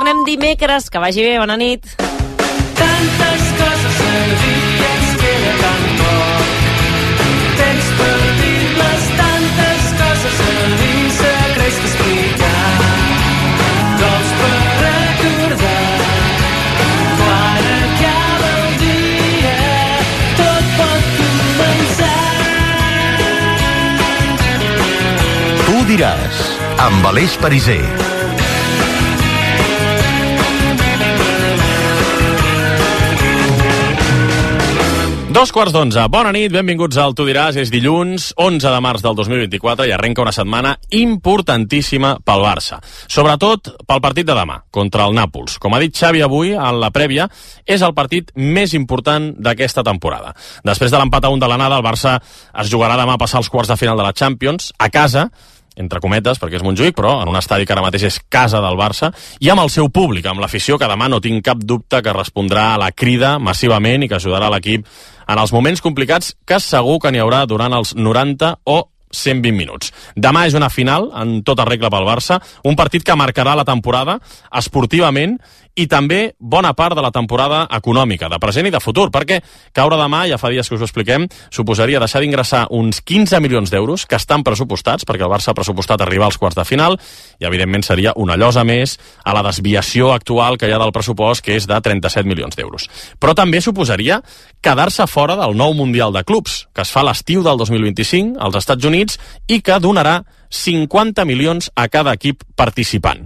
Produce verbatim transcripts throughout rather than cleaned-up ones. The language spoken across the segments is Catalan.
tornem dimecres. Que vagi bé, bona nit. Tantes coses a dir, ens queda tan poc temps per dir-les, tantes coses a dir, secrets que explicar, cols per recordar. Quan acaba el dia, tot pot començar. Tu diràs, amb Aleix Pariser. Dos quarts d'onze. Bona nit, benvinguts al Tu diràs. És dilluns, onze de març del dos mil vint-i-quatre i arrenca una setmana importantíssima pel Barça. Sobretot pel partit de demà, contra el Nàpols. Com ha dit Xavi avui, en la prèvia, és el partit més important d'aquesta temporada. Després de l'empat a un de l'anada, el Barça es jugarà demà a passar els quarts de final de la Champions, a casa, entre cometes, perquè és Montjuïc, però en un estadi que ara mateix és casa del Barça, i amb el seu públic, amb l'afició, que demà no tinc cap dubte que respondrà a la crida massivament i que ajudarà l'equip en els moments complicats que segur que n'hi haurà durant els noranta o cent vint minuts. Demà és una final, en tota regla pel Barça, un partit que marcarà la temporada esportivament i també bona part de la temporada econòmica, de present i de futur, perquè caure demà, ja fa dies que us ho expliquem, suposaria deixar d'ingressar uns quinze milions d'euros que estan pressupostats, perquè el Barça ha pressupostat arribar als quarts de final, i evidentment seria una llosa més a la desviació actual que hi ha del pressupost, que és de trenta-set milions d'euros. Però també suposaria quedar-se fora del nou Mundial de Clubs, que es fa l'estiu del dos mil vint-i-cinc als Estats Units i que donarà cinquanta milions a cada equip participant.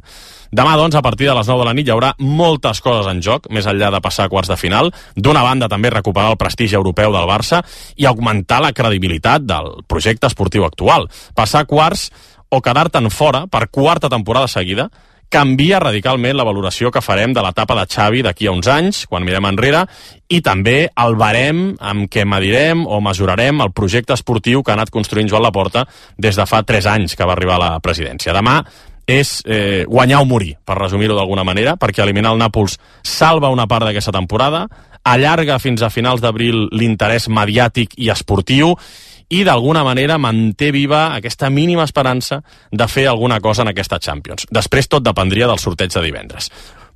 Demà, doncs, a partir de les nou de la nit hi haurà moltes coses en joc, més enllà de passar a quarts de final. D'una banda, també recuperar el prestigi europeu del Barça i augmentar la credibilitat del projecte esportiu actual. Passar a quarts o quedar-te'n fora per quarta temporada seguida canvia radicalment la valoració que farem de l'etapa de Xavi d'aquí a uns anys, quan mirem enrere, i també el barem amb què medirem o mesurarem el projecte esportiu que ha anat construint Joan Laporta des de fa tres anys que va arribar a la presidència. Demà és eh, guanyar o morir, per resumir-ho d'alguna manera, perquè eliminar el Nàpols salva una part d'aquesta temporada, allarga fins a finals d'abril l'interès mediàtic i esportiu, i d'alguna manera manté viva aquesta mínima esperança de fer alguna cosa en aquesta Champions. Després tot dependria del sorteig de divendres.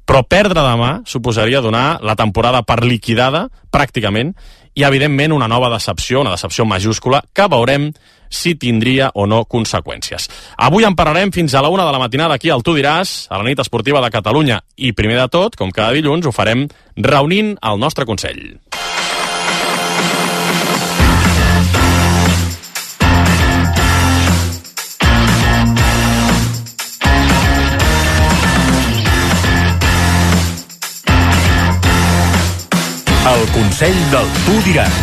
Però perdre demà suposaria donar la temporada per liquidada, pràcticament, i evidentment una nova decepció, una decepció majúscula, que veurem si tindria o no conseqüències. Avui en parlarem fins a la una de la matinada aquí al Tu diràs, a la nit esportiva de Catalunya, i primer de tot, com cada dilluns, ho farem reunint el nostre Consell. El Consell del Tu diràs.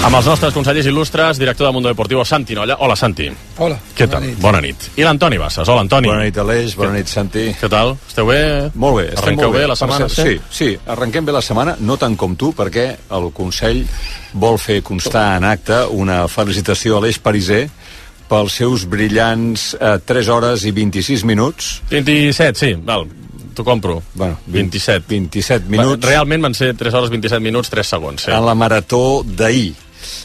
Amb els nostres consellers il·lustres, director de Mundo Deportivo, Santi Nolla. Hola, Santi. Hola. Què tal? Bona nit. Bona nit. I l'Antoni Bassas. Hola, Antoni. Bona nit, Aleix. Bona nit, Santi. Què tal? Esteu bé? Molt bé. Estem Arrenqueu molt bé. bé la setmana? Sí, sí. Arrenquem bé la setmana, no tant com tu, perquè el Consell vol fer constar en acte una felicitació a Aleix Pariser pels seus brillants eh, tres hores i vint-i-sis minuts. vint-i-set, sí, val. T'ho compro. Bueno, vint-i-set. vint-i-set minuts. Realment van ser tres hores vint-i-set minuts, tres segons. Sí. En la marató d'ahir.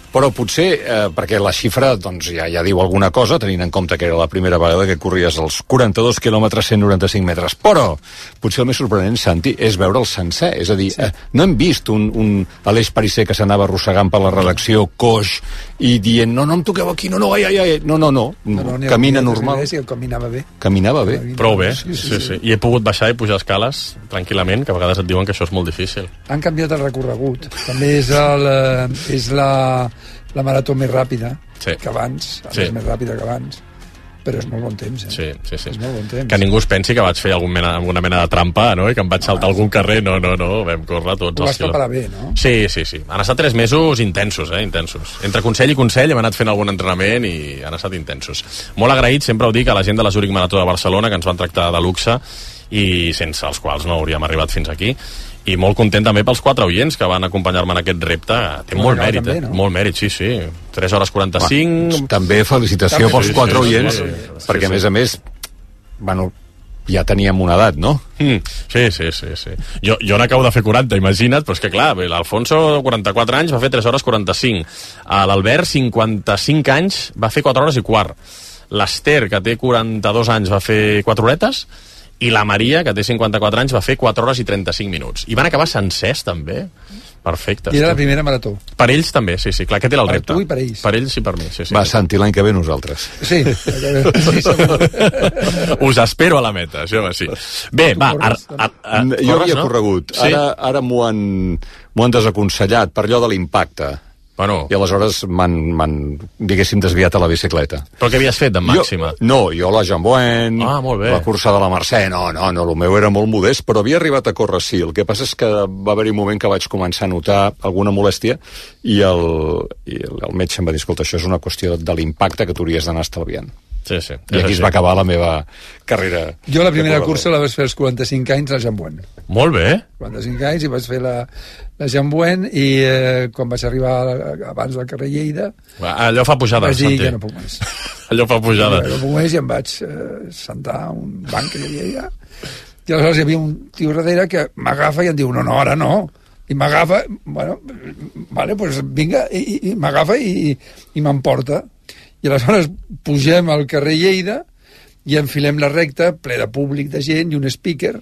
Però potser, eh, perquè la xifra doncs, ja, ja diu alguna cosa, tenint en compte que era la primera vegada que corries els quaranta-dos quilòmetres, cent noranta-cinc metres. Però potser el més sorprenent, Santi, és veure el sencer. És a dir, sí. eh, no hem vist un, un Aleix Pariser que s'anava arrossegant per la redacció, coix, i dient, no, no em toqueu aquí, no, no, ai, ai, ai. No, no, no. no, no camina normal. I el caminava bé. Caminava bé. Prou bé. Sí, sí, sí, sí. I he pogut baixar i pujar escales tranquil·lament, que a vegades et diuen que això és molt difícil. Han canviat el recorregut. També és, el, és la, la marató més ràpida sí. que abans, sí. és més ràpida que abans, però és molt bon temps, eh? Sí, sí, sí. És molt bon temps. Que ningú es pensi que vaig fer algun mena, alguna mena de trampa, no? I que em vaig saltar ah, algun carrer. No, no, no, vam córrer tots. Ho vas preparar bé, no? Sí, sí, sí. Han estat tres mesos intensos, eh? Intensos. Entre consell i consell hem anat fent algun entrenament i han estat intensos. Molt agraït, sempre ho dic, a la gent de la Zurich Marató de Barcelona, que ens van tractar de luxe i sense els quals no hauríem arribat fins aquí. I molt content també pels quatre oients que van acompanyar-me en aquest repte. Té no, molt mèrit, també, no? eh? Molt mèrit, sí, sí. tres hores quaranta-cinc... Va, també felicitació també, pels sí, quatre sí, oients, sí, sí, sí, perquè sí, sí. a més a més, bueno, ja teníem una edat, no? Mm, sí, sí, sí, sí. Jo, jo n'acabo de fer quaranta, imagina't, però és que clar, l'Alfonso, quaranta-quatre anys, va fer tres hores quaranta-cinc. L'Albert, cinquanta-cinc anys, va fer quatre hores i quart. l'Ester, que té quaranta-dos anys, va fer quatre horetes, i la Maria, que té cinquanta-quatre anys, va fer quatre hores i trenta-cinc minuts. I van acabar sencers, també. Perfecte. I era la primera marató. Per ells també, sí, sí, clar, aquest era el per repte. Tu i per ells. Per ells i per mi, sí, sí. Va, Santi, l'any que ve nosaltres. Sí, sí, segur. Us espero a la meta, això va, sí. Bé, va, corres, ar, ar, ar, jo corres, havia no? corregut. Sí? Ara, ara m'ho han, m'ho han desaconsellat per allò de l'impacte. Bueno, I aleshores m'han, m'han, diguéssim, desviat a la bicicleta. però què havies fet, en màxima? Jo, no, jo la Jambuen, Ah, molt bé. la cursa de la Mercè, no, no, no, el meu era molt modest, però havia arribat a córrer, sí. El que passa és que va haver-hi un moment que vaig començar a notar alguna molèstia i el, i el, el metge em va dir, escolta, això és una qüestió de l'impacte que tu hauries d'anar estalviant. Sí, sí. I aquí es va acabar la meva carrera. Jo la primera de cursa la vaig fer als quaranta-cinc anys a Jambuen. Molt bé. quaranta-cinc anys i vaig fer la, la Jambuen i eh, quan vaig arribar abans del carrer Lleida Allò fa pujada, vaig dir Santi. que no puc més. Allò fa pujada. No puc més i em vaig eh, sentar a un banc que hi havia allà. I aleshores hi havia un tio darrere que m'agafa i em diu, no, no, ara no. I m'agafa, bueno, vale, pues vinga, i, i, i m'agafa i, i m'emporta. I aleshores pugem al carrer Lleida i enfilem la recta, ple de públic, de gent, i un speaker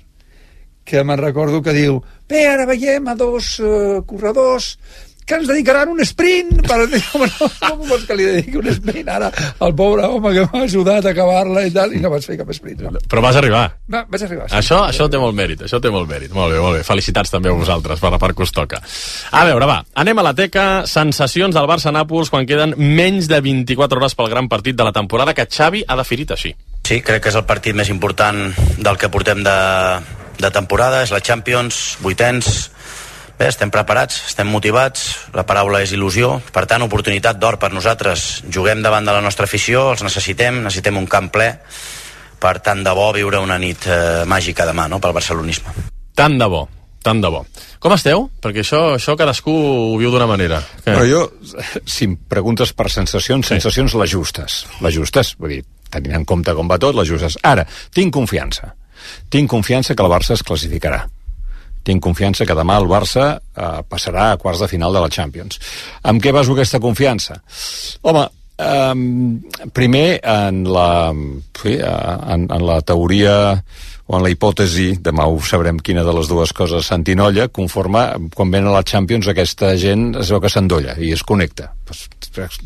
que me'n recordo que diu bé, ara veiem a dos uh, corredors que ens dedicaran un sprint per dir, home, no, com vols que li dediqui un sprint ara al pobre home que m'ha ajudat a acabar-la i tal, i no vaig fer cap sprint, no. Però vas arribar. Va, vaig arribar. Sí. Això, això té molt mèrit, això té molt mèrit. Molt bé, molt bé. Felicitats també a vosaltres per la part que us toca. A veure, va, anem a la teca. Sensacions del Barça-Nàpols quan queden menys de vint-i-quatre hores pel gran partit de la temporada que Xavi ha definit així. Sí, crec que és el partit més important del que portem de, de temporada, és la Champions, vuitens. Bé, estem preparats, estem motivats, la paraula és il·lusió, per tant, oportunitat d'or per nosaltres. Juguem davant de la nostra afició, els necessitem, necessitem un camp ple, per tant de bo viure una nit eh, màgica demà, no?, pel barcelonisme. Tant de bo, tant de bo. Com esteu? Perquè això, això cadascú ho viu d'una manera. Què? Però jo, si em preguntes per sensacions, Sí. sensacions les justes. Les justes, vull dir, tenint en compte com va tot, les justes. Ara, tinc confiança. Tinc confiança que el Barça es classificarà. Tinc confiança que demà el Barça eh, passarà a quarts de final de la Champions. Amb què baso aquesta confiança? Home, eh, primer en la, sí, en, en la teoria o en la hipòtesi, demà ho sabrem quina de les dues coses s'antinolla, conforme, quan ven a la Champions aquesta gent es veu que s'endolla i es connecta. Pues,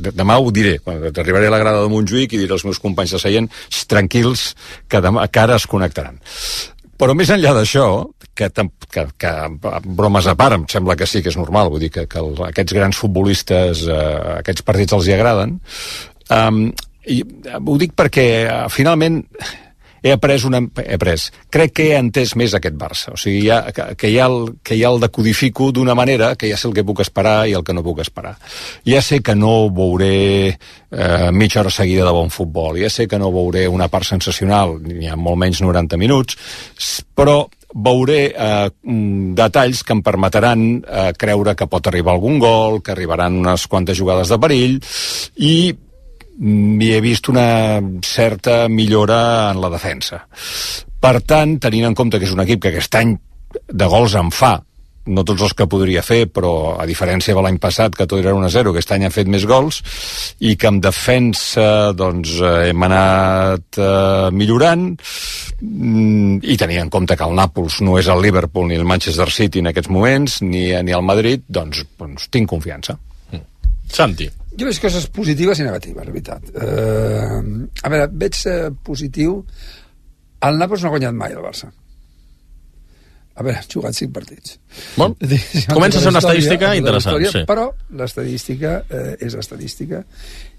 demà ho diré, quan arribaré a la grada de Montjuïc i diré als meus companys de seient, tranquils, que, demà, que ara es connectaran. Però més enllà d'això, que, que, que bromes a part, em sembla que sí que és normal, vull dir que, que el, aquests grans futbolistes, eh, aquests partits els hi agraden, um, i ho dic perquè uh, finalment he après una... He après. Crec que he entès més aquest Barça. O sigui, ja, que, que, ja el, que ja el decodifico d'una manera que ja sé el que puc esperar i el que no puc esperar. Ja sé que no veuré eh, mitja hora seguida de bon futbol, ja sé que no veuré una part sensacional, ni ha molt menys noranta minuts, però veuré eh, detalls que em permetran eh, creure que pot arribar algun gol, que arribaran unes quantes jugades de perill, i hi he vist una certa millora en la defensa. Per tant, tenint en compte que és un equip que aquest any de gols en fa, no tots els que podria fer, però a diferència de l'any passat, que tot era un a zero, aquest any ha fet més gols, i que en defensa doncs, hem anat eh, millorant, i tenint en compte que el Nàpols no és el Liverpool ni el Manchester City en aquests moments, ni, ni el Madrid, doncs, doncs tinc confiança. Santi. Jo veig coses positives i negatives, la veritat. Uh, a veure, veig uh, positiu. El Nàpols no ha guanyat mai el Barça. A veure, ha jugat cinc partits. Bon. Comença a ser una estadística interessant, sí. Però l'estadística uh, és estadística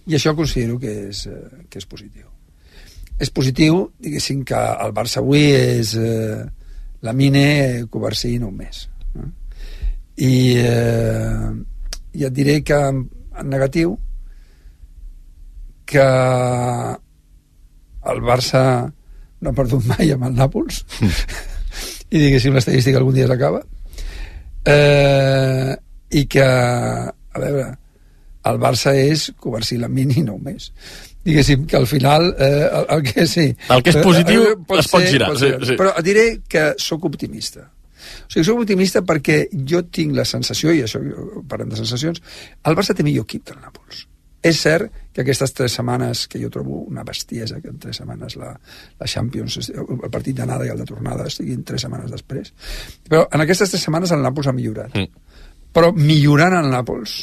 i això considero que és, uh, que és positiu. És positiu, diguéssim, que el Barça avui és uh, la Mine Covarsí en un mes. No? I, uh, i et diré que en negatiu que el Barça no ha perdut mai amb el Nàpols i diguéssim l'estadística algun dia s'acaba eh, i que a veure, el Barça és Covarsí Lamini no més, diguéssim que al final eh, el, el que sí el que és positiu eh, pot es pot ser, girar pot sí, sí. Però diré que sóc optimista. O sigui, soc optimista perquè jo tinc la sensació, i això parlem de sensacions, el Barça té millor equip que el Nàpols. És cert que aquestes tres setmanes, que jo trobo una bestiesa, que en tres setmanes la, la Champions, el partit d'anada i el de tornada estiguin tres setmanes després, però en aquestes tres setmanes el Nàpols ha millorat. Mm. Però millorant el Nàpols,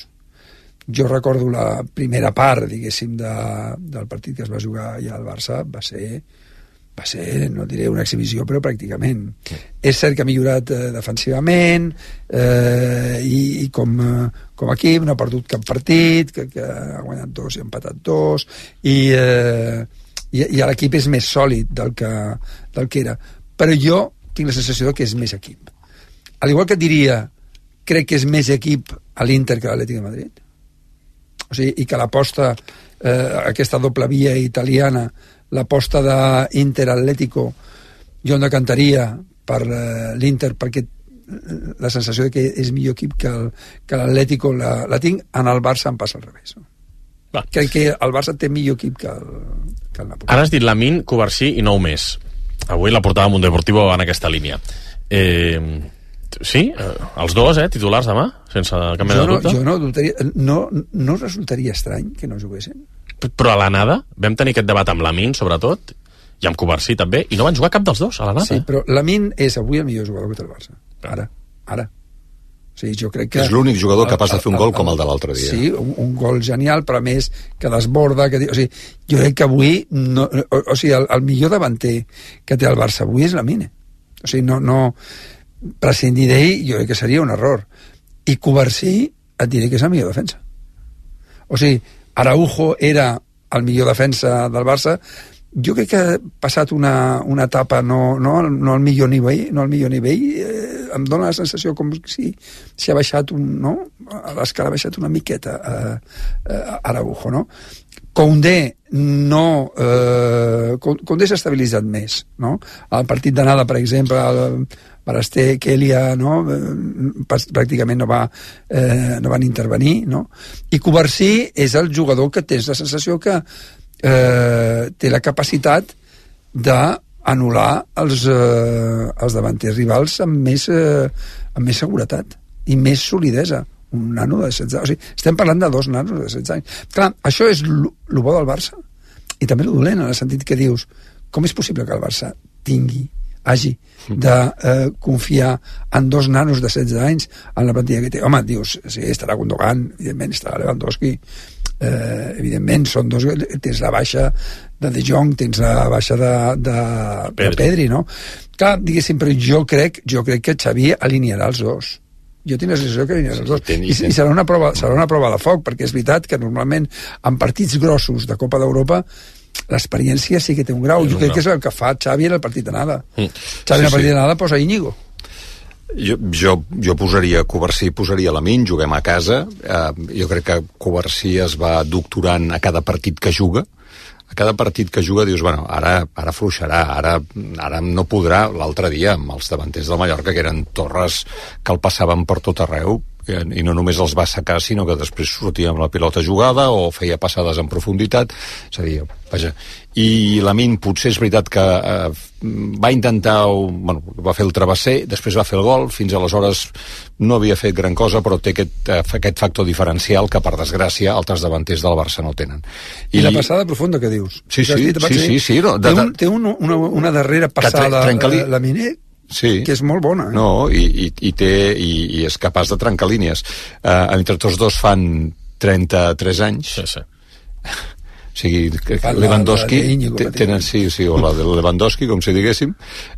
jo recordo la primera part, diguéssim, de, del partit que es va jugar ja al Barça, va ser... va ser, no diré una exhibició, però pràcticament. Sí. És cert que ha millorat eh, defensivament eh, i, i com, eh, com a equip no ha perdut cap partit, que, que ha guanyat dos i ha empatat dos, i, eh, i, i l'equip és més sòlid del que, del que era. Però jo tinc la sensació que és més equip. Al igual que et diria, crec que és més equip a l'Inter que a l'Atlètic de Madrid. O sigui, i que l'aposta, eh, aquesta doble via italiana, l'aposta d'Inter-Atlético, jo em decantaria per uh, l'Inter, perquè la sensació de que és millor equip que, el, que l'Atlético la, la tinc. En el Barça em passa al revés. No? Crec que el Barça té millor equip que el, que el Napoli. Ara has dit Lamine, Covarsí i nou més. Avui la portava Mundo Deportivo en aquesta línia. Eh, sí? Eh, els dos, eh, titulars demà? Sense cap mena de dubte? Jo no, dubtaria, no, no resultaria estrany que no juguessin. Però a l'anada vam tenir aquest debat amb Lamine, sobretot, i amb Covarsí també, i no van jugar cap dels dos a l'anada. Sí, però Lamine és avui el millor jugador que té el Barça. Ara, ara. O sigui, jo crec que... És l'únic jugador el, capaç de fer un gol el, el, com el de l'altre dia. Sí, un, un gol genial, però a més que desborda, que, o sigui, jo crec que avui no, o, o sigui, el, el millor davanter que té el Barça avui és Lamine. O sigui, no, no prescindir d'ell jo crec que seria un error. I Covarsí et diré que és el millor defensa. O sigui, Araujo era el millor defensa del Barça. Jo crec que ha passat una, una etapa no, no, no al millor nivell, no al millor nivell, eh, em dóna la sensació com si s'ha baixat un, no? A l'escala ha baixat una miqueta eh, eh, Araujo, no? Koundé no eh, Koundé s'ha estabilitzat més, no? El partit d'anada, per exemple, el Barasté, Kelia, no? Pràcticament no, va, eh, no van intervenir, no? I Covarsí és el jugador que tens la sensació que eh, té la capacitat d'anul·lar els, eh, els davanters rivals amb més, eh, amb més seguretat i més solidesa. Un nano de setze anys. O sigui, estem parlant de dos nanos de setze anys. Clar, això és el bo del Barça i també el dolent, en el sentit que dius, com és possible que el Barça tingui hagi de eh, confiar en dos nanos de setze anys en la plantilla que té. Home, dius, sí, estarà Gundogan, evidentment estarà Lewandowski, eh, evidentment són dos, tens la baixa de De Jong, tens la baixa de, de, Pedri. de Pedri, no? Clar, diguéssim, però jo crec, jo crec que Xavi alinearà els dos. Jo tinc la sensació que alinearà els dos. I, i serà, una prova, serà una prova de foc, perquè és veritat que normalment en partits grossos de Copa d'Europa l'experiència sí que té un grau. Jo crec que és el que fa Xavi en el partit d'anada. Mm. Xavi en el partit d'anada posa Íñigo. Jo, jo, jo posaria Covarsí, posaria Lamine, juguem a casa. Eh, jo crec que Covarsí es va doctorant a cada partit que juga. A cada partit que juga dius, bueno, ara, ara fluixarà, ara, ara no podrà. L'altre dia, amb els davanters del Mallorca, que eren torres que el passaven per tot arreu, i no només els va assecar, sinó que després sortia amb la pilota jugada o feia passades en profunditat. És a dir, vaja, i Lamine potser és veritat que eh, va intentar, bueno, va fer el travesser, després va fer el gol, fins aleshores no havia fet gran cosa, però té aquest, aquest factor diferencial que, per desgràcia, altres davanters del Barça no tenen. I, I la passada profunda que dius? Sí, sí, sí, sí, sí, sí, no, té, un, té un, una, una darrera passada Lamine sí. que és molt bona. Eh? No, i, i, i, té, i, i és capaç de trencar línies. Uh, entre tots dos fan trenta-tres anys. Sí, sí. O sigui, Lewandowski tenen, sí, sí, o la de Lewandowski, com si diguéssim.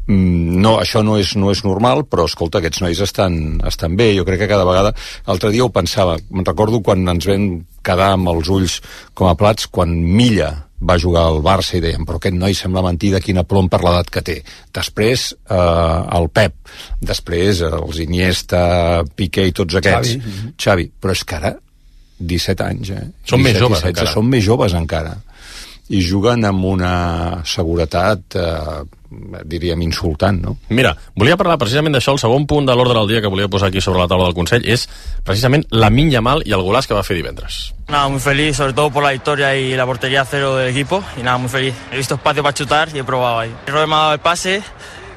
No, això no és, no és normal, però escolta, aquests nois estan, estan bé. Jo crec que cada vegada, l'altre dia ho pensava, me'n recordo quan ens vam quedar amb els ulls com a plats, quan Milla va jugar al Barça i dèiem, però aquest noi sembla mentida, quina plom per l'edat que té. Després eh, el Pep, després els Iniesta, Piqué i tots aquests. Xavi. Xavi. Però és que ara disset anys, eh? Són més joves disset, encara. Són més joves encara. I juguen amb una seguretat, eh, diríem, insultant, no? Mira, volia parlar precisament d'això. El segon punt de l'ordre del dia que volia posar aquí sobre la taula del Consell és precisament Lamine Yamal i el golaç que va fer divendres. Nada, muy feliz, sobre todo por la victoria y la portería cero del equipo. Y nada, muy feliz. He visto espacio para chutar y he probado ahí. Robben me ha dado el pase.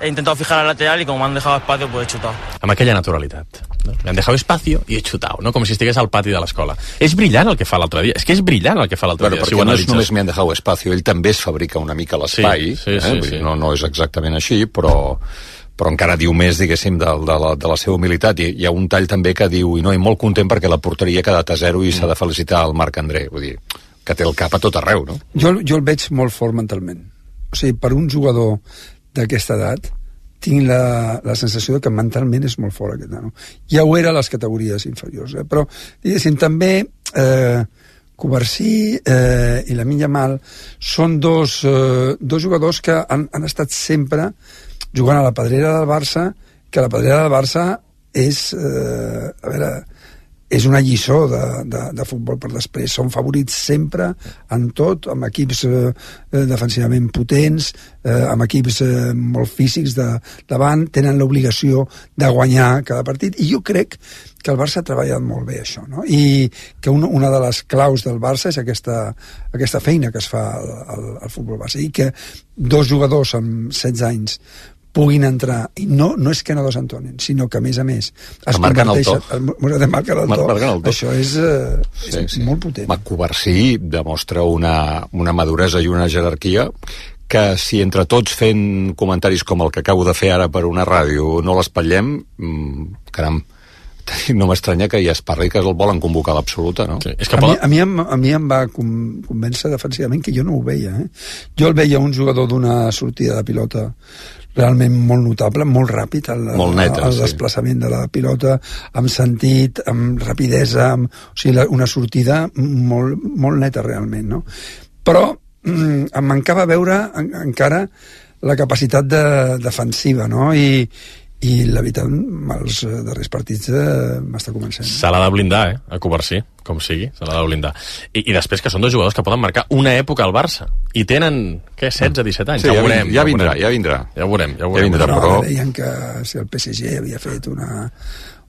he intentado fijar al lateral y como me han dejado espacio, pues he chutado. Amb aquella naturalitat. No? Le han dejado espacio i he chutado, no? Com si estigués al pati de l'escola. És brillant el que fa l'altre dia. És que és brillant el que fa l'altre bueno, dia. Perquè si no és només me han dejado espacio, ell també es fabrica una mica l'espai. Sí, sí, sí, eh? sí. No, no és exactament així, però... però encara diu més, diguéssim, de, de, la, de la seva humilitat. I hi ha un tall també que diu, i no, i molt content perquè la porteria ha quedat a zero i mm. s'ha de felicitar al Marc André. Vull dir, que té el cap a tot arreu, no? Jo, jo el veig molt fort mentalment. O sigui, per un jugador d'aquesta edat, tinc la, la sensació que mentalment és molt fort aquest nano. Ja ho era a les categories inferiors, eh? Però, diguéssim, també eh, Covarsí eh, i Lamine Yamal són dos, eh, dos jugadors que han, han estat sempre jugant a la pedrera del Barça, que la pedrera del Barça és, eh, a veure, és una lliçó de, de, de futbol per després. Són favorits sempre en tot, amb equips eh, defensivament potents, eh, amb equips eh, molt físics de, davant, tenen l'obligació de guanyar cada partit, i jo crec que el Barça ha treballat molt bé això, no? I que una, una de les claus del Barça és aquesta, aquesta feina que es fa al, al, al futbol Barça, i que dos jugadors amb setze anys puguin entrar, i no, no és que no desentonin, sinó que a més a més es marquen el to, marquen el to. el to. Això és, eh, és sí, sí. molt potent. Covarsí demostra una, una maduresa i una jerarquia que si entre tots fent comentaris com el que acabo de fer ara per una ràdio no l'espatllem, mmm, caram, no m'estranya que ja es parli que el volen convocar a l'absoluta, no? Sí, és que a, mi, a, mi em, a mi em va convèncer defensivament que jo no ho veia, eh? Jo el veia un jugador d'una sortida de pilota realment molt notable, molt ràpid el, molt neta, el sí. desplaçament de la pilota, amb sentit, amb rapidesa, amb, o sigui, una sortida molt, molt neta realment, no? Però mm, em mancava veure en, encara la capacitat de, defensiva, no? I, i la veritat, els darrers partits eh, m'està convencent. Se l'ha de blindar, eh, a Covarsí, com sigui, se l'ha de blindar. I, I després que són dos jugadors que poden marcar una època al Barça, i tenen, què, setze, disset anys? Sí, ja, ja, veurem, ja vindrà, ja vindrà. Ja ho veurem, ja ho veurem. Ja vindrà, no, però... deien que si el P S G havia fet una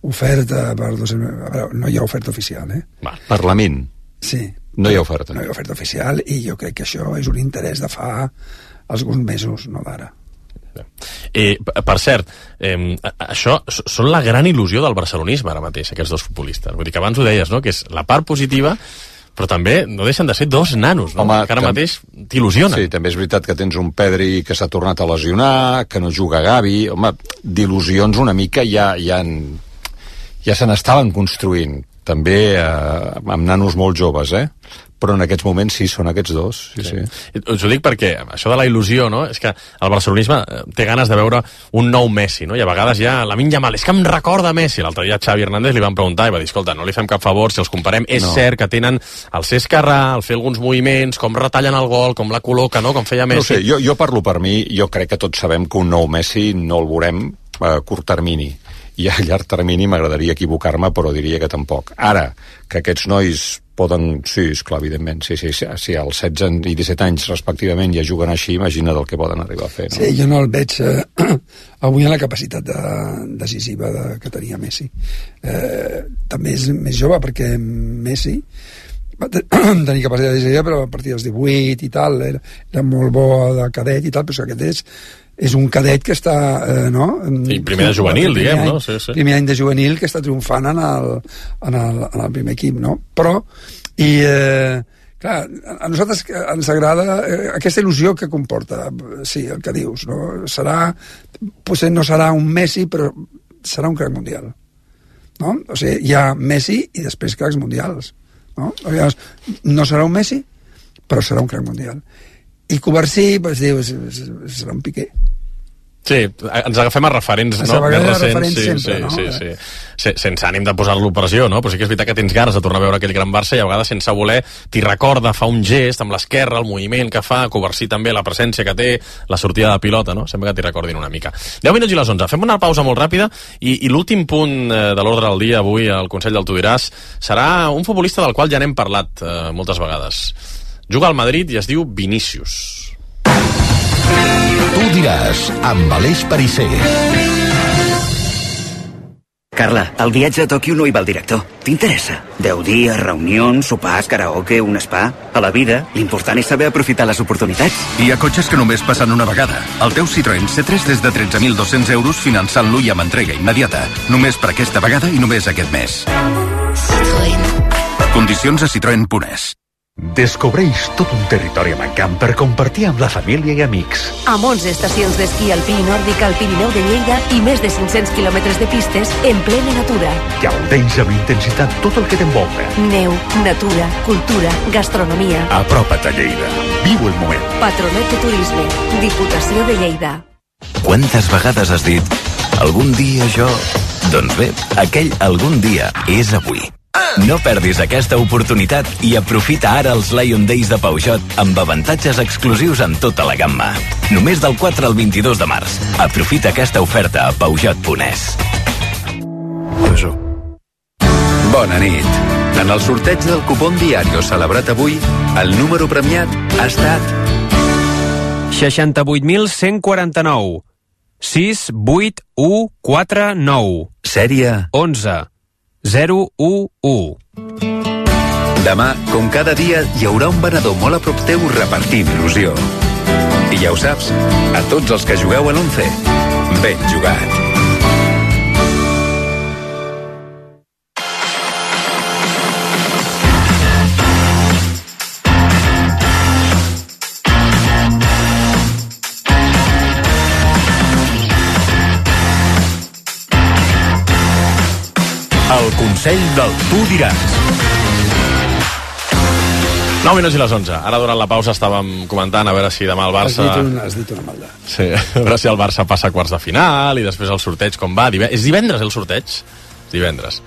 oferta per... dos... no hi ha oferta oficial, eh? Va, per la Min. Sí. No hi ha oferta. No hi ha oferta oficial, i jo crec que això és un interès de fa alguns mesos, no d'ara. Eh, per cert, eh, això són la gran il·lusió del barcelonisme ara mateix, aquests dos futbolistes. Vull dir que abans ho deies, no?, que és la part positiva, però també no deixen de ser dos nanos, no? Home, que ara tam... mateix t'il·lusionen. Sí, també és veritat que tens un Pedri que s'ha tornat a lesionar, que no juga Gavi. Home, d'il·lusions una mica ja, ja, en... ja se n'estaven construint, també eh, amb nanos molt joves, eh? Però en aquests moments sí, són aquests dos. Sí, sí. Sí. Us ho dic perquè això de la il·lusió, no?, és que el barcelonisme té ganes de veure un nou Messi, no?, i a vegades ja Lamine Yamal, és que em recorda Messi. L'altre dia Xavi Hernández li van preguntar i va dir, escolta, no li fem cap favor si els comparem. És no. cert que tenen el ser esquerrà, el fer alguns moviments, com retallen el gol, com la col·loca, no?, com feia Messi. No sé, jo, jo parlo per mi, jo crec que tots sabem que un nou Messi no el veurem a curt termini. I a llarg termini m'agradaria equivocar-me, però diria que tampoc. Ara, que aquests nois poden... Sí, esclar, evidentment. Sí, sí, sí, sí, als setze i disset anys, respectivament, ja juguen així, imagina't el que poden arribar a fer, no? Sí, jo no el veig eh, avui en la capacitat de, decisiva de, que tenia Messi. Eh, també és més jove, perquè Messi va tenir capacitat decisiva, però a partir dels divuit i tal, era, era molt bo de cadet i tal, però aquest és és un cadet que està, eh, no? Sí, primer de juvenil, diguem, any, no? Sí, sí. Primer any de juvenil que està triomfant en el, en el, en el primer equip, no? Però, i, eh, clar, a nosaltres ens agrada eh, aquesta il·lusió que comporta, sí, el que dius, no? Serà, potser no serà un Messi, però serà un crac mundial, no? O sigui, hi ha Messi i després cracs mundials, no? Llavors, no serà un Messi, però serà un crac mundial. I Covarsí, doncs, diu, serà un Piqué. Sí, ens agafem a referents, no? Més recents, referents sí, sempre, sí, no? sí, sí, sí. Sense ànim de posar l'operació, no? Però sí que és veritat que tens ganes de tornar a veure aquell gran Barça i a vegades sense voler t'hi recorda, fa un gest amb l'esquerra, el moviment que fa, Covarsí també, la presència que té, la sortida de pilota, no? Sembla que t'hi recordin una mica. deu minuts i les onze. Fem una pausa molt ràpida i, i l'últim punt de l'ordre del dia avui al Consell del Tu diràs serà un futbolista del qual ja n'hem parlat eh, moltes vegades. Juga al Madrid i es diu Vinícius. Tu diràs, amb Aleix Perisser. Carla, al viatge a Tòquio no hi va el director. T'interessa? Deu dies, reunions, sopars, karaoke, un spa... A la vida, l'important és saber aprofitar les oportunitats. Hi ha cotxes que només passen una vegada. El teu Citroën C tres des de tretze mil dos-cents euros finançant-lo i amb entrega immediata. Només per aquesta vegada i només aquest mes. Citroën. Condicions a citroen punt es. Descobreix tot un territori a Mancamp per compartir amb la família i amics. Amb onze estacions d'esquí alpí i nòrdic al Pirineu de Lleida i més de cinc-cents quilòmetres de pistes en plena natura. Gaudeix amb intensitat tot el que t'envolta. Neu, natura, cultura, gastronomia. Apropa't a Lleida. Viu el moment. Patronat de Turisme. Diputació de Lleida. Quantes vegades has dit algun dia jo... Doncs bé, aquell algun dia és avui. No perdis aquesta oportunitat i aprofita ara els Lion Days de Peugeot amb avantatges exclusius en tota la gamma. Només del quatre al vint-i-dos de març. Aprofita aquesta oferta a Peugeot punt es. Bona nit. En el sorteig del cupón Diario celebrat avui, el número premiat ha estat... seixanta-vuit mil cent quaranta-nou. sis vuit u quatre nou. Sèrie... onze. zero u u. Demà, com cada dia, hi haurà un venedor molt a prop teu repartint il·lusió. I ja ho saps, a tots els que jugueu a l'once, ben jugat. El Consell del Tu diràs. nou minuts i les onze. Ara, durant la pausa, estàvem comentant a veure si demà el Barça... Has dit, un, has dit una maldat. Sí, a veure si el Barça passa a quarts de final i després el sorteig com va. Dive... És divendres el sorteig? Divendres.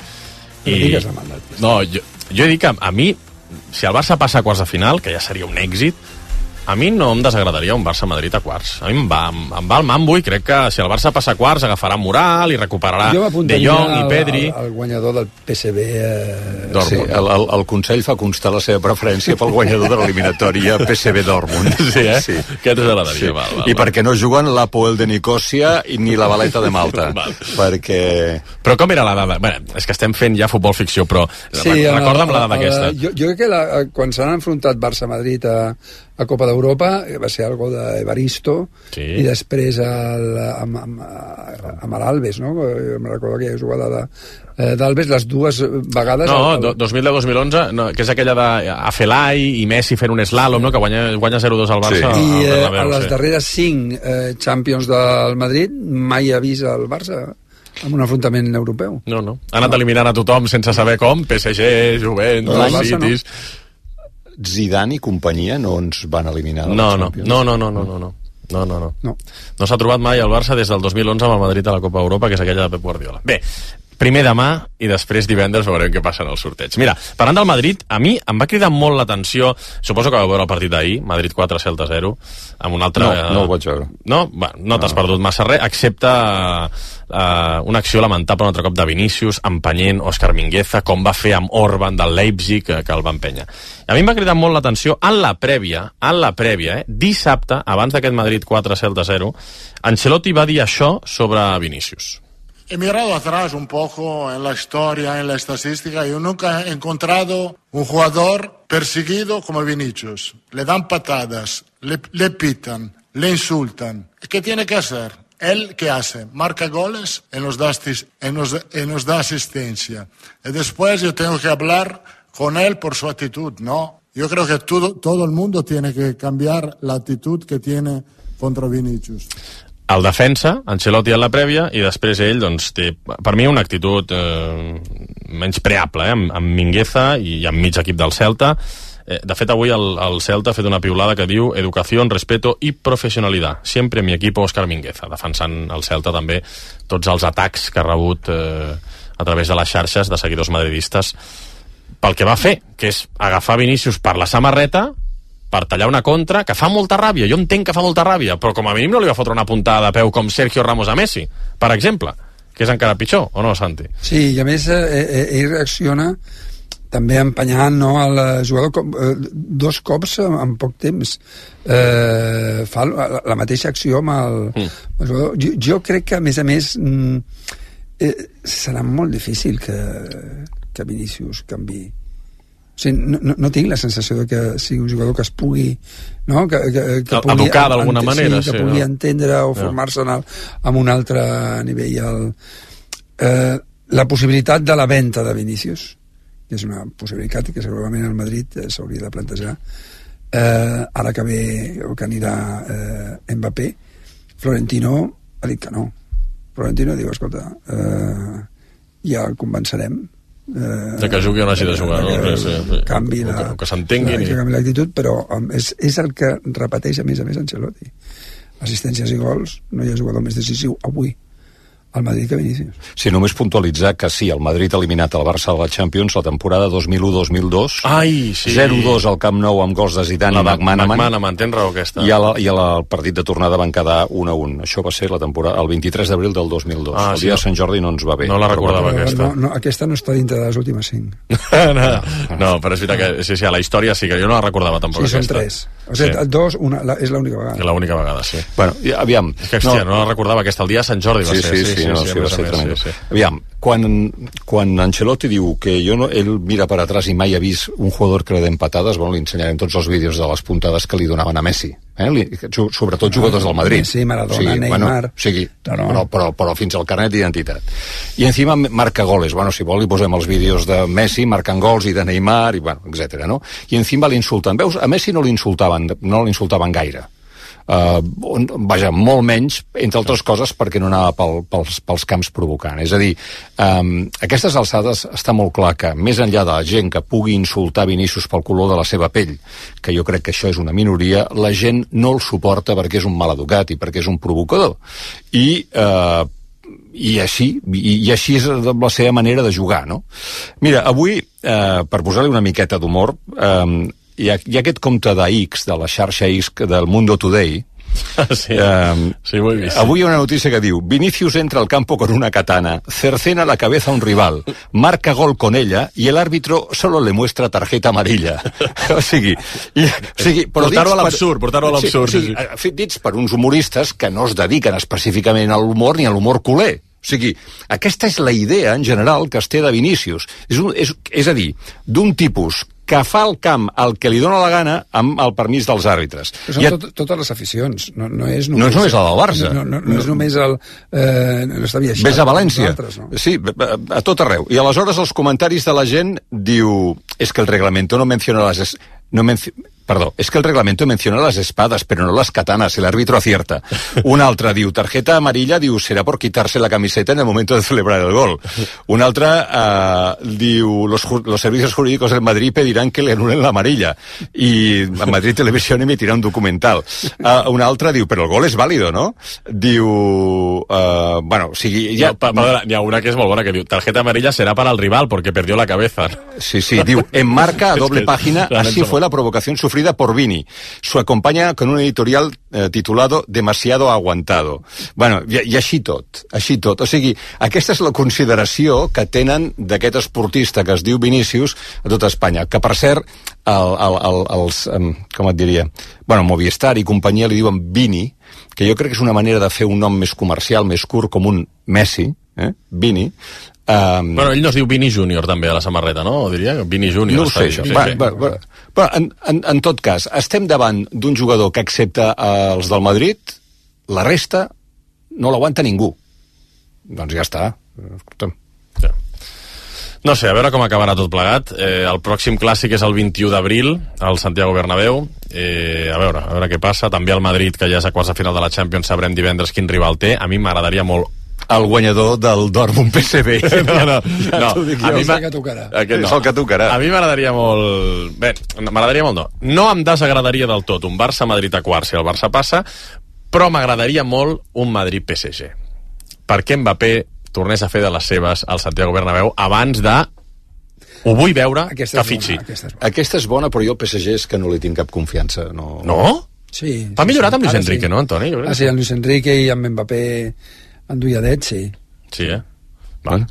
I... No digues la maldat. No, jo, jo he dit que a mi, si el Barça passa a quarts de final, que ja seria un èxit, a mi no em desagradaria un Barça-Madrid a quarts. A mi em va, em, em va el mambo i crec que si el Barça passa a quarts agafarà moral i recuperarà De Jong i Pedri. El, el guanyador del P S V... Eh... Sí, el, el, el Consell fa constar la seva preferència pel guanyador de l'eliminatòria P S V Dortmund. Sí, eh? Sí. Què t'agradaria? Sí. Val, val, I perquè no juguen l'Apoel de Nicòsia ni la Valeta de Malta. Perquè... Però com era la dada? Bé, és que estem fent ja futbol ficció, però sí, recorda'm la dada aquesta. Jo, jo crec que la, quan s'han enfrontat Barça-Madrid a a Copa d'Europa va ser algo d'Evaristo sí. I després el, amb, amb, amb l'Albes, no? Em recordo aquella jugada d'Albes les dues vegades... No, el, el... dos mil deu dos mil onze, no, que és aquella d'Afelai i Messi fent un slalom, no? Que guanya, guanya zero dos al Barça. Sí. I eh, a les sí. darreres cinc eh, Champions del Madrid mai ha vist el Barça amb un enfrontament europeu. No, no. Ha anat no. eliminant a tothom sense saber com, P S G, Juventus, Citis... No. Zidane i companyia no ens van eliminar de no, la no, Champions? No, no, no, no, no, no. No, no, no. No, no s'ha trobat mai el Barça des del dos mil onze amb el Madrid a la Copa Europa, que és aquella de Pep Guardiola. Bé, primer demà i després divendres veurem què passa en el sorteig. Mira, parlant del Madrid, a mi em va cridar molt l'atenció, suposo que vau veure el partit d'ahir, Madrid quatre, Celta zero, amb un altre... No, no el vaig veure. No? Va, no t'has no. perdut massa res, excepte uh, una acció lamentable un altre cop de Vinícius, empenyent Òscar Mingueza, com va fer amb Orban del Leipzig, que, que el va empènyer. A mi em va cridar molt l'atenció, en la prèvia, en la prèvia, eh, dissabte, abans d'aquest Madrid quatre, Celta zero, Ancelotti va dir això sobre Vinícius. He mirado atrás un poco en la historia, en la estadística, y yo nunca he encontrado un jugador perseguido como Vinicius. Le dan patadas, le, le pitan, le insultan. ¿Qué tiene que hacer? ¿Él qué hace? Marca goles y nos da, y nos, y nos da asistencia. Y después yo tengo que hablar con él por su actitud, ¿no? Yo creo que todo, todo el mundo tiene que cambiar la actitud que tiene contra Vinicius. El defensa, Ancelotti en la prèvia, i després ell, doncs, té, per mi, una actitud eh, menys preable, eh, amb, amb Mingueza i amb mig equip del Celta. Eh, de fet, avui el, el Celta ha fet una piulada que diu educació, respeto i professionalitat. Sempre mi equipo Òscar Mingueza, defensant el Celta també tots els atacs que ha rebut eh, a través de les xarxes de seguidors madridistes pel que va fer, que és agafar Vinícius per la samarreta per tallar una contra, que fa molta ràbia. Jo entenc que fa molta ràbia, però com a mínim no li va fotre una puntada de peu com Sergio Ramos a Messi, per exemple, que és encara pitjor, o no, Santi? Sí, i a més eh, ell reacciona també empenyant, no, el jugador com, eh, dos cops en, en poc temps. Eh, fa la, la mateixa acció amb el, mm. el jugador. Jo, jo crec que, a més a més, mm, eh, serà molt difícil que, que Vinícius canvi. O sigui, no, no, no tinc la sensació de que sigui un jugador que es pugui, no? que, que, que pugui educar d'alguna manera, sí, que sí, pugui no? entendre o formar-se en, el, en un altre nivell. El, eh, la possibilitat de la venda de Vinícius, que és una possibilitat que segurament el Madrid eh, s'hauria de plantejar, eh, ara que ve o que anirà eh, Mbappé, Florentino ha dit que no. Florentino diu, escolta, eh, ja el convencerem eh, de que jugui o no hagi de jugar, no? que, Sí, sí. canvi O la, que, o que s'entenguin. que canvi l'actitud, però um, és, és el que repeteix a més a més Ancelotti. Assistències i gols, no hi ha jugador més decisiu avui al Madrid que Vinícius. Sí, només puntualitzar que sí, el Madrid ha eliminat el Barça de la Champions la temporada dos mil u dos mil dos. Ai, sí. zero dos al Camp Nou amb gols de Zidane La i McManaman. McManaman, tens raó aquesta. I, a la, i a la, el partit de tornada van quedar un a un. Això va ser la temporada, el vint-i-tres d'abril del dos mil dos. Ah, el sí, dia no. de Sant Jordi no ens va bé. No la recordava, Però, aquesta. no, no, aquesta no està dintre de les últimes cinc. no, no, però és veritat que sí, sí, a la història sí que jo no la recordava tampoc. Sí, són aquesta. tres. O sigui, Sí. dos, una, la, és l'única vegada. L'única vegada, sí. Bueno, i, aviam. És que, hòstia, no, no la recordava, aquesta, el dia de Sant Jordi va Sí, ser. sí, sí, sí, no, sí, a va més a ser més, tremendo. sí, sí. Aviam, quan, quan Ancelotti diu que jo no, ell mira per atràs i mai ha vist un jugador que le den patades, bueno, li ensenyarem tots els vídeos de les puntades que li donaven a Messi. Eh? Li, sobretot jugadors del Madrid. Messi, Maradona, sí, Neymar. Bueno, sí, no, no. Però, però, però fins al carnet d'identitat. I encima marca goles. Bueno, si vol li posem els vídeos de Messi marcant gols i de Neymar, i bueno, etcètera. No? I encima l'insulten. Veus, a Messi no l'insultaven, no l'insultaven gaire. Uh, vaja, molt menys, entre altres coses perquè no anava pel, pels, pels camps provocant. És a dir, um, aquestes alçades està molt clar que més enllà de la gent que pugui insultar Vinícius pel color de la seva pell, que jo crec que això és una minoria, la gent no el suporta perquè és un maleducat i perquè és un provocador. I uh, i així, i, i així és la seva manera de jugar, no? Mira, avui, eh, per posar-li una miqueta d'humor, eh, hi ha, hi ha aquest compte de X, de la xarxa X del Mundo Today. Sí, eh, sí, ho he vist. Avui hi ha una notícia que diu: Vinícius entra al campo con una katana, cercena la cabeza a un rival, marca gol con ella y el árbitro solo le muestra tarjeta amarilla. O sigui, i, o sigui portar-ho a l'absurd, portar-ho a l'absurd. Sí, o sigui, dits per uns humoristes que no es dediquen específicament a l'humor ni a l'humor culer. O sigui, aquesta és la idea en general que es té de Vinícius. És, un, és, és a dir, d'un tipus que fa el camp el que li dona la gana amb el permís dels àrbitres. Però són tot, totes les aficions, no, no és només... No és només la del Barça. No, no, no és només el... Eh, no està viatjant. Ves a València. Altres, no? Sí, a tot arreu. I aleshores els comentaris de la gent diu... És que el reglamento no menciona les... No menci... Perdó, es que el reglamento menciona las espadas, pero no las katanas, el árbitro acierta. Un altre diu, tarjeta amarilla, diu, será por quitarse la camiseta en el momento de celebrar el gol. Un altre uh, diu, los, los servicios jurídicos del Madrid pedirán que le anulen la amarilla. Y Madrid Televisión emitirá un documental. Uh, un altre diu, però el gol és vàlido, no? Diu, uh, bueno, o sigui... Ja... No, perdona, hi ha una que és molt bona, que diu, tarjeta amarilla será para el rival, porque perdió la cabeza. Sí, sí, diu, en marca a doble página, así fue la provocación sufrida por Vini. Su acompaña con un editorial eh, titulado Demasiado aguantado. Bueno, i, i així tot, així tot. O sigui, aquesta és la consideració que tenen d'aquest esportista que es diu Vinícius a tota Espanya. Que, per cert, el, el, el, els, com et diria, bueno, Movistar i companyia li diuen Vini, que jo crec que és una manera de fer un nom més comercial, més curt, com un Messi, eh? Vini. Um... Bueno, ell no es diu Vini Júnior també a la samarreta, no? O diria Vini Júnior. No ho sé, això. Sí, va, sí. Va, va. Però en, en, en tot cas, estem davant d'un jugador que, excepte els del Madrid, la resta no l'aguanta ningú. Doncs ja està. Escolta'm. Ja. No sé, a veure com acabarà tot plegat. Eh, el pròxim clàssic és el vint-i-u d'abril, al Santiago Bernabéu. Eh, a veure, a veure què passa. També el Madrid, que ja és a quarts de final de la Champions, sabrem divendres quin rival té. A mi m'agradaria molt el guanyador del Dortmund P S V. No, no, no. A mi és el que tocarà. Aquest no. És el que tocarà. A mi m'agradaria molt... Bé, m'agradaria molt no. No em desagradaria del tot un Barça-Madrid a quarts si el Barça passa, però m'agradaria molt un Madrid-P S G. Perquè Mbappé tornés a fer de les seves al Santiago Bernabéu abans de... Ho vull veure aquesta que fitxi. Bona, aquesta, és bona. aquesta és bona, però jo el P S G és que no li tinc cap confiança. No? No? Sí. T'ha sí, millorat sí. amb Luis Ara Enrique, sí. no, Antoni? Ah, sí, amb Luis Enrique i amb Mbappé enduiadet, sí. Sí, eh? Vale.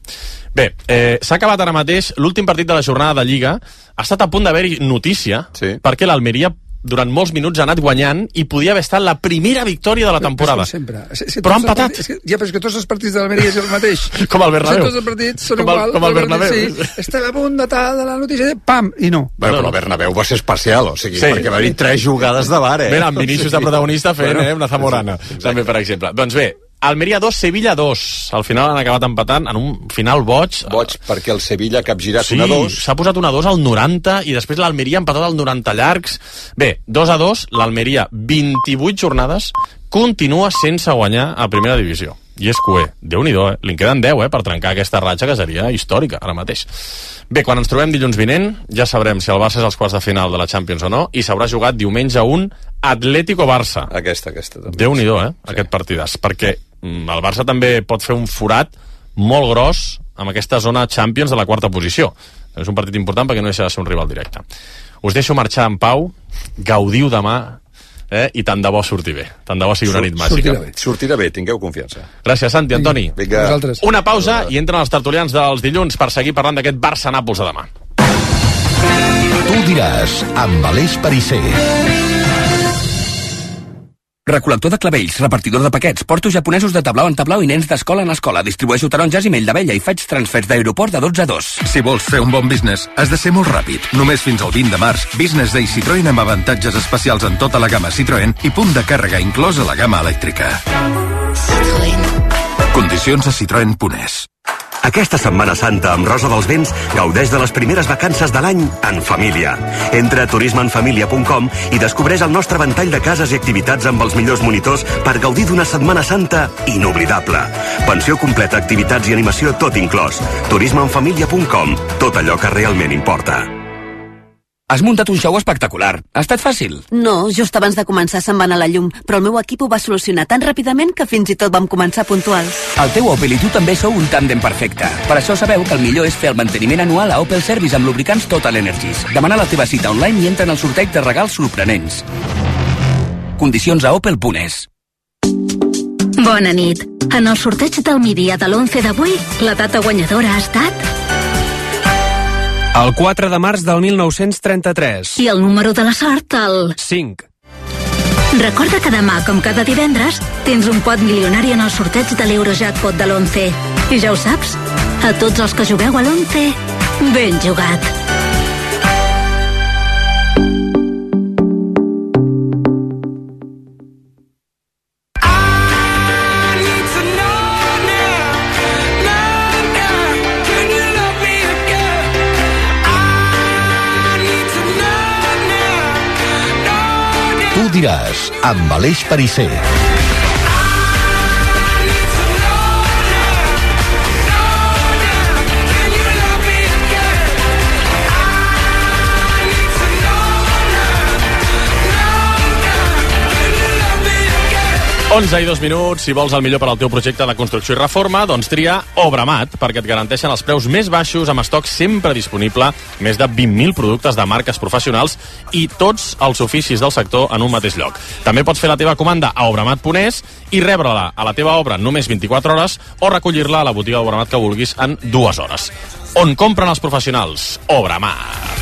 Bé, eh, s'ha acabat ara mateix l'últim partit de la jornada de Lliga. Ha estat a punt d'haver-hi notícia, sí. perquè l'Almeria durant molts minuts ha anat guanyant i podia haver estat la primera victòria de la temporada. Però, sempre. És, és però ha empatat. Partits, és que, ja, però és que tots els partits de l'Almeria és el mateix. Com el Bernabéu. Tots els partits són com el, igual. Com el Bernabéu. Sí, estem a punt de, tal, de la notícia, de pam, i no. Bueno, però el Bernabéu va ser especial, o sigui, sí. perquè va haver tres jugades de bar, eh? Bé, amb Vinícius de protagonista fent, bueno, eh, una zamorana, sí, també, per exemple. Doncs bé, Almeria dos, Sevilla dos. Al final han acabat empatant en un final boig. Boig perquè el Sevilla ha capgirat sí, un a dos. s'ha posat un a dos al noranta i després l'Almeria ha empatat al noranta llargs. Bé, dos a dos, l'Almeria vint-i-vuit jornades continua sense guanyar a primera divisió. I és cué. Déu-n'hi-do, eh? Li en queden deu, eh, per trencar aquesta ratxa que seria històrica, ara mateix. Bé, quan ens trobem dilluns vinent, ja sabrem si el Barça és als quarts de final de la Champions o no, i s'haurà jugat diumenge un Atlético-Barça. Aquesta, aquesta també. Déu-n'hi-do, eh, sí. Aquest partidàs, perquè el Barça també pot fer un forat molt gros amb aquesta zona Champions de la quarta posició. És un partit important perquè no deixa de ser un rival directe. Us deixo marxar en pau, gaudiu demà, eh? I tant de bo surti bé. Tant de bo sigui una nit màgica. Sortirà bé, sortirà bé, tingueu confiança. Gràcies, Santi, Antoni. Vinga. Una pausa i entren els tertulians dels dilluns per seguir parlant d'aquest Barça-Nàpols de demà. Tu diràs, amb Aleix Perisser. Recol·lector de clavells, repartidor de paquets, porto japonesos de tablau en tablau i nens d'escola en escola. Distribueixo taronges i mell d'abella i faig transfers d'aeroport de dotze a dos. Si vols fer un bon business, has de ser molt ràpid. Només fins al vint de març, Business Day Citroën amb avantatges especials en tota la gamma Citroën i punt de càrrega inclòs a la gamma elèctrica. Citroën. Condicions a citroen punt es. Aquesta Setmana Santa amb Rosa dels Vents gaudeix de les primeres vacances de l'any en família. Entra a turisme en família punt com i descobreix el nostre ventall de cases i activitats amb els millors monitors per gaudir d'una Setmana Santa inoblidable. Pensió completa, activitats i animació tot inclòs. turisme en família punt com. Tot allò que realment importa. Has muntat un show espectacular. Ha estat fàcil? No, just abans de començar se'n va anar la llum, però el meu equip ho va solucionar tan ràpidament que fins i tot vam començar puntuals. El teu Opel i tu també sou un tàndem perfecte. Per això sabeu que el millor és fer el manteniment anual a Opel Service amb lubricants Total Energies. Demana la teva cita online i entra en el sorteig de regals sorprenents. Condicions a opel punt es. Bona nit. En el sorteig del migdia de l'onze d'avui, la data guanyadora ha estat... El quatre de març del mil nou-cents trenta-tres. I el número de la sort, el... cinc. Recorda que demà, com cada divendres, tens un pot milionari en el sorteig de l'Eurojackpot de l'onze. I ja ho saps, a tots els que jugueu a l'onze, ben jugat. Tu diràs, amb Aleix Perisser. onze i dos minuts, si vols el millor per al teu projecte de construcció i reforma, doncs tria Obramat, perquè et garanteixen els preus més baixos, amb estoc sempre disponible, més de vint mil productes de marques professionals i tots els oficis del sector en un mateix lloc. També pots fer la teva comanda a obramat punt es i rebre-la a la teva obra en només vint-i-quatre hores o recollir-la a la botiga d'Obramat que vulguis en dues hores. On compren els professionals? Obramat.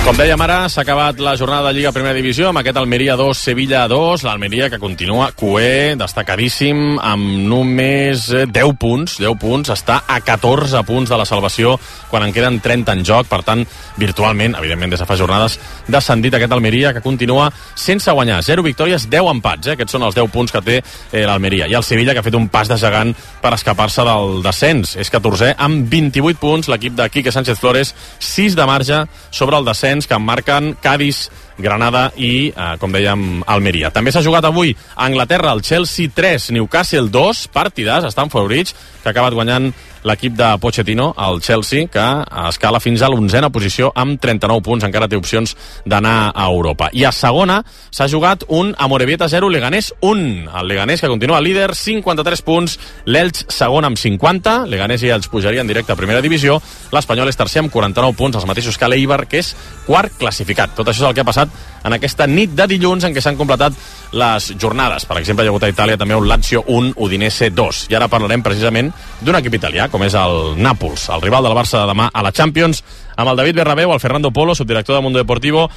Com dèiem ara, s'ha acabat la jornada de Lliga Primera Divisió amb aquest Almeria dos, Sevilla dos, l'Almeria que continua cué, destacadíssim, amb només deu punts, deu punts, està a catorze punts de la salvació quan en queden trenta en joc, per tant, virtualment, evidentment des de fa jornades, descendit aquest Almeria que continua sense guanyar, zero victòries, deu empats, eh? Aquests són els deu punts que té eh, l'Almeria, i el Sevilla que ha fet un pas de gegant per escapar-se del descens, és catorzè amb vint-i-vuit punts, l'equip de Quique Sánchez Flores, sis de marge sobre el descens que emmarquen Cádiz, Granada i, eh, com dèiem, Almeria. També s'ha jugat avui a Anglaterra el Chelsea tres, Newcastle dos, partidàs a Stamford Bridge, que ha acabat guanyant l'equip de Pochettino, el Chelsea, que escala fins a l'onzena posició amb trenta-nou punts, encara té opcions d'anar a Europa. I a segona s'ha jugat un Amorebieta zero, Leganés un. El Leganés que continua líder, cinquanta-tres punts, l'Elx segon amb cinquanta, Leganés i Elx pujarien directe a primera divisió, l'Espanyol és tercer amb quaranta-nou punts, els mateixos que l'Eibar, que és quart classificat. Tot això és el que ha passat en aquesta nit de dilluns en què s'han completat les jornades. Per exemple, hi ha hagut a Itàlia també un Lazio un, Udinese dos. I ara parlarem precisament d'un equip italià, com és el Nàpols, el rival del Barça de demà a la Champions, amb el David Bernabéu, el Fernando Polo, subdirector de Mundo Deportivo,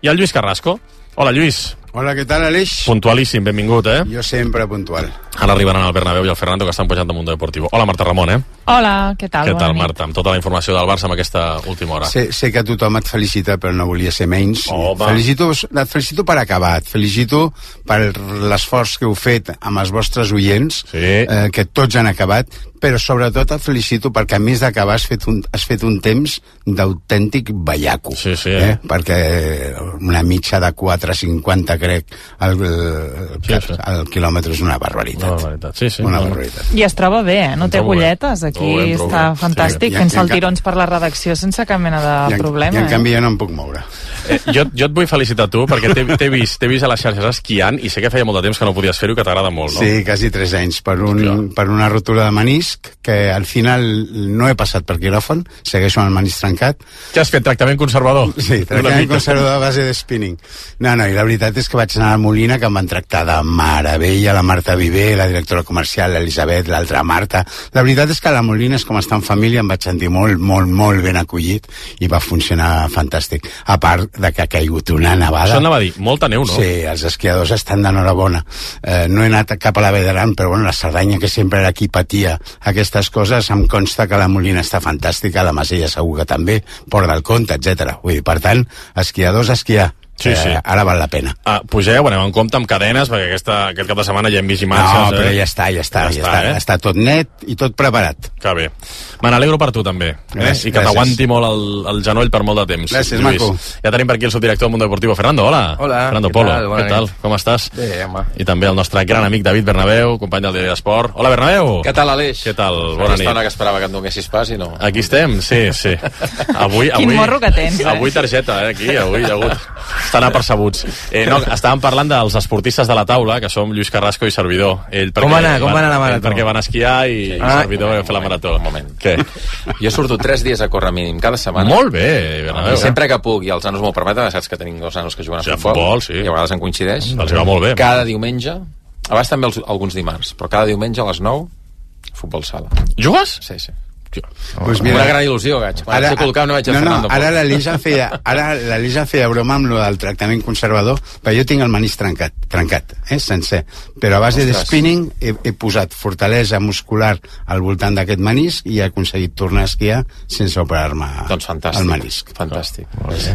i el Lluís Carrasco. Hola, Lluís. Hola, què tal, Aleix? Puntualíssim, benvingut, eh? Jo sempre puntual. Ara arribaran el Bernabéu i el Fernando, que estan pujant de Mundo Deportivo. Hola, Marta Ramon, eh? Hola, què tal? Què tal, Bona Marta? Amb tota la informació del Barça en aquesta última hora. Sé, sé que tothom et felicita, però no volia ser menys. Oh, felicito, et felicito per acabar, et felicito per l'esforç que heu fet amb els vostres oients, sí. eh, que tots han acabat, però sobretot et felicito perquè a més d'acabar has fet un, has fet un temps d'autèntic ballaco. Sí, sí. Eh? Perquè una mitja de quatre cinquanta, crec, el, el, sí, sí. el quilòmetre és una barbaritat. Una barbaritat, sí, sí. Una barbaritat. I es troba bé, eh? No té agulletes, aquí bé, està bé. fantàstic, Sí. fent I en- saltirons per la redacció sense cap mena de I en, problema. I en eh? canvi jo no em puc moure. Eh, jo, jo et vull felicitar tu, perquè t'he t'he vist, t'he vist a les xarxes esquiant i sé que feia molt de temps que no podies fer-ho i que t'agrada molt, no? Sí, quasi tres anys, per, un, per una rotura de menisc, que al final no he passat per quiròfan, segueixo amb el menisc trencat. Què has fet, tractament conservador? Sí, tractament conservador a base de spinning. No, no, i la veritat és que vaig anar a Molina, que em van tractar de meravella, la Marta Viver, la directora comercial, l'Elisabet, l'altra Marta. La veritat és que a la Molina és com estar en família, em vaig sentir molt, molt, molt ben acollit i va funcionar fantàstic. A part de que ha caigut una nevada. Això anava a dir, molta neu, no? Sí, els esquiadors estan d'enhorabona. Eh, no he anat cap a la Vall d'Aran, però bueno, la Cerdanya, que sempre era qui patia aquestes coses, em consta que la Molina està fantàstica, la Masella segur que també, Port del Comte, etcètera. Vull dir, per tant, esquiadors, esquiar. Sí, sí. Eh, ara val la pena. Ah, pugeu, anem en compte amb cadenes, perquè aquesta, aquest cap de setmana ja hem vist imatges. No, però eh? ja està, ja està, ja, Ja està, està, eh? està tot net i tot preparat. Que bé. Me n'alegro per tu, també. Eh? Gràcies. I que t'aguanti molt el, el genoll per molt de temps. Gràcies, Lluís. maco. Ja tenim per aquí el subdirector del Mundo Deportivo, Fernando. Hola. Hola. Fernando Què Polo. tal? Bona Què tal? nit. Com estàs? Bé, home. I també el nostre gran amic David Bernabéu, company del Diari d'Esport. Hola, Bernabéu. Què tal, Aleix? Què tal? Bona Bona estona nit. que esperava que et donessis pas i no. Aquí estem, sí, sí. Avui, Quin avui, morro que tens, eh? Avui targeta, eh, aquí, avui hi ha hagut. Estan apercebuts. Eh, no, estàvem parlant dels esportistes de la taula, que som Lluís Carrasco i servidor. Ell Com va anar? Com va anar la ell marató? perquè van esquiar i, i Ah. servidor va fer la marató. Un moment. Què? Jo surto tres dies a córrer mínim cada setmana. Molt bé, Bernabéu. I sempre que puc, i els nanos m'ho permeten, saps que tenim dos nanos que juguen a Sí, a futbol, futbol, sí. i a vegades en coincideix. Els hi va molt bé. Cada diumenge, a vegades també els, alguns dimarts, però cada diumenge a les nou, futbol sala. Jugues? Sí, sí. Pues Una gran il·lusió, gaig. Quan ara, sé col·locar no veig a no, no, Fernando. ara l'Elisa em feia, ara l'Elisa em feia broma amb lo del tractament conservador, però jo tinc el menisc trencat, trencat, eh, sencer. Però a base Ostres. de spinning he, he posat fortalesa muscular al voltant d'aquest menisc i he aconseguit tornar a esquiar sense operar-me doncs fantàstic, el menisc. Fantàstic.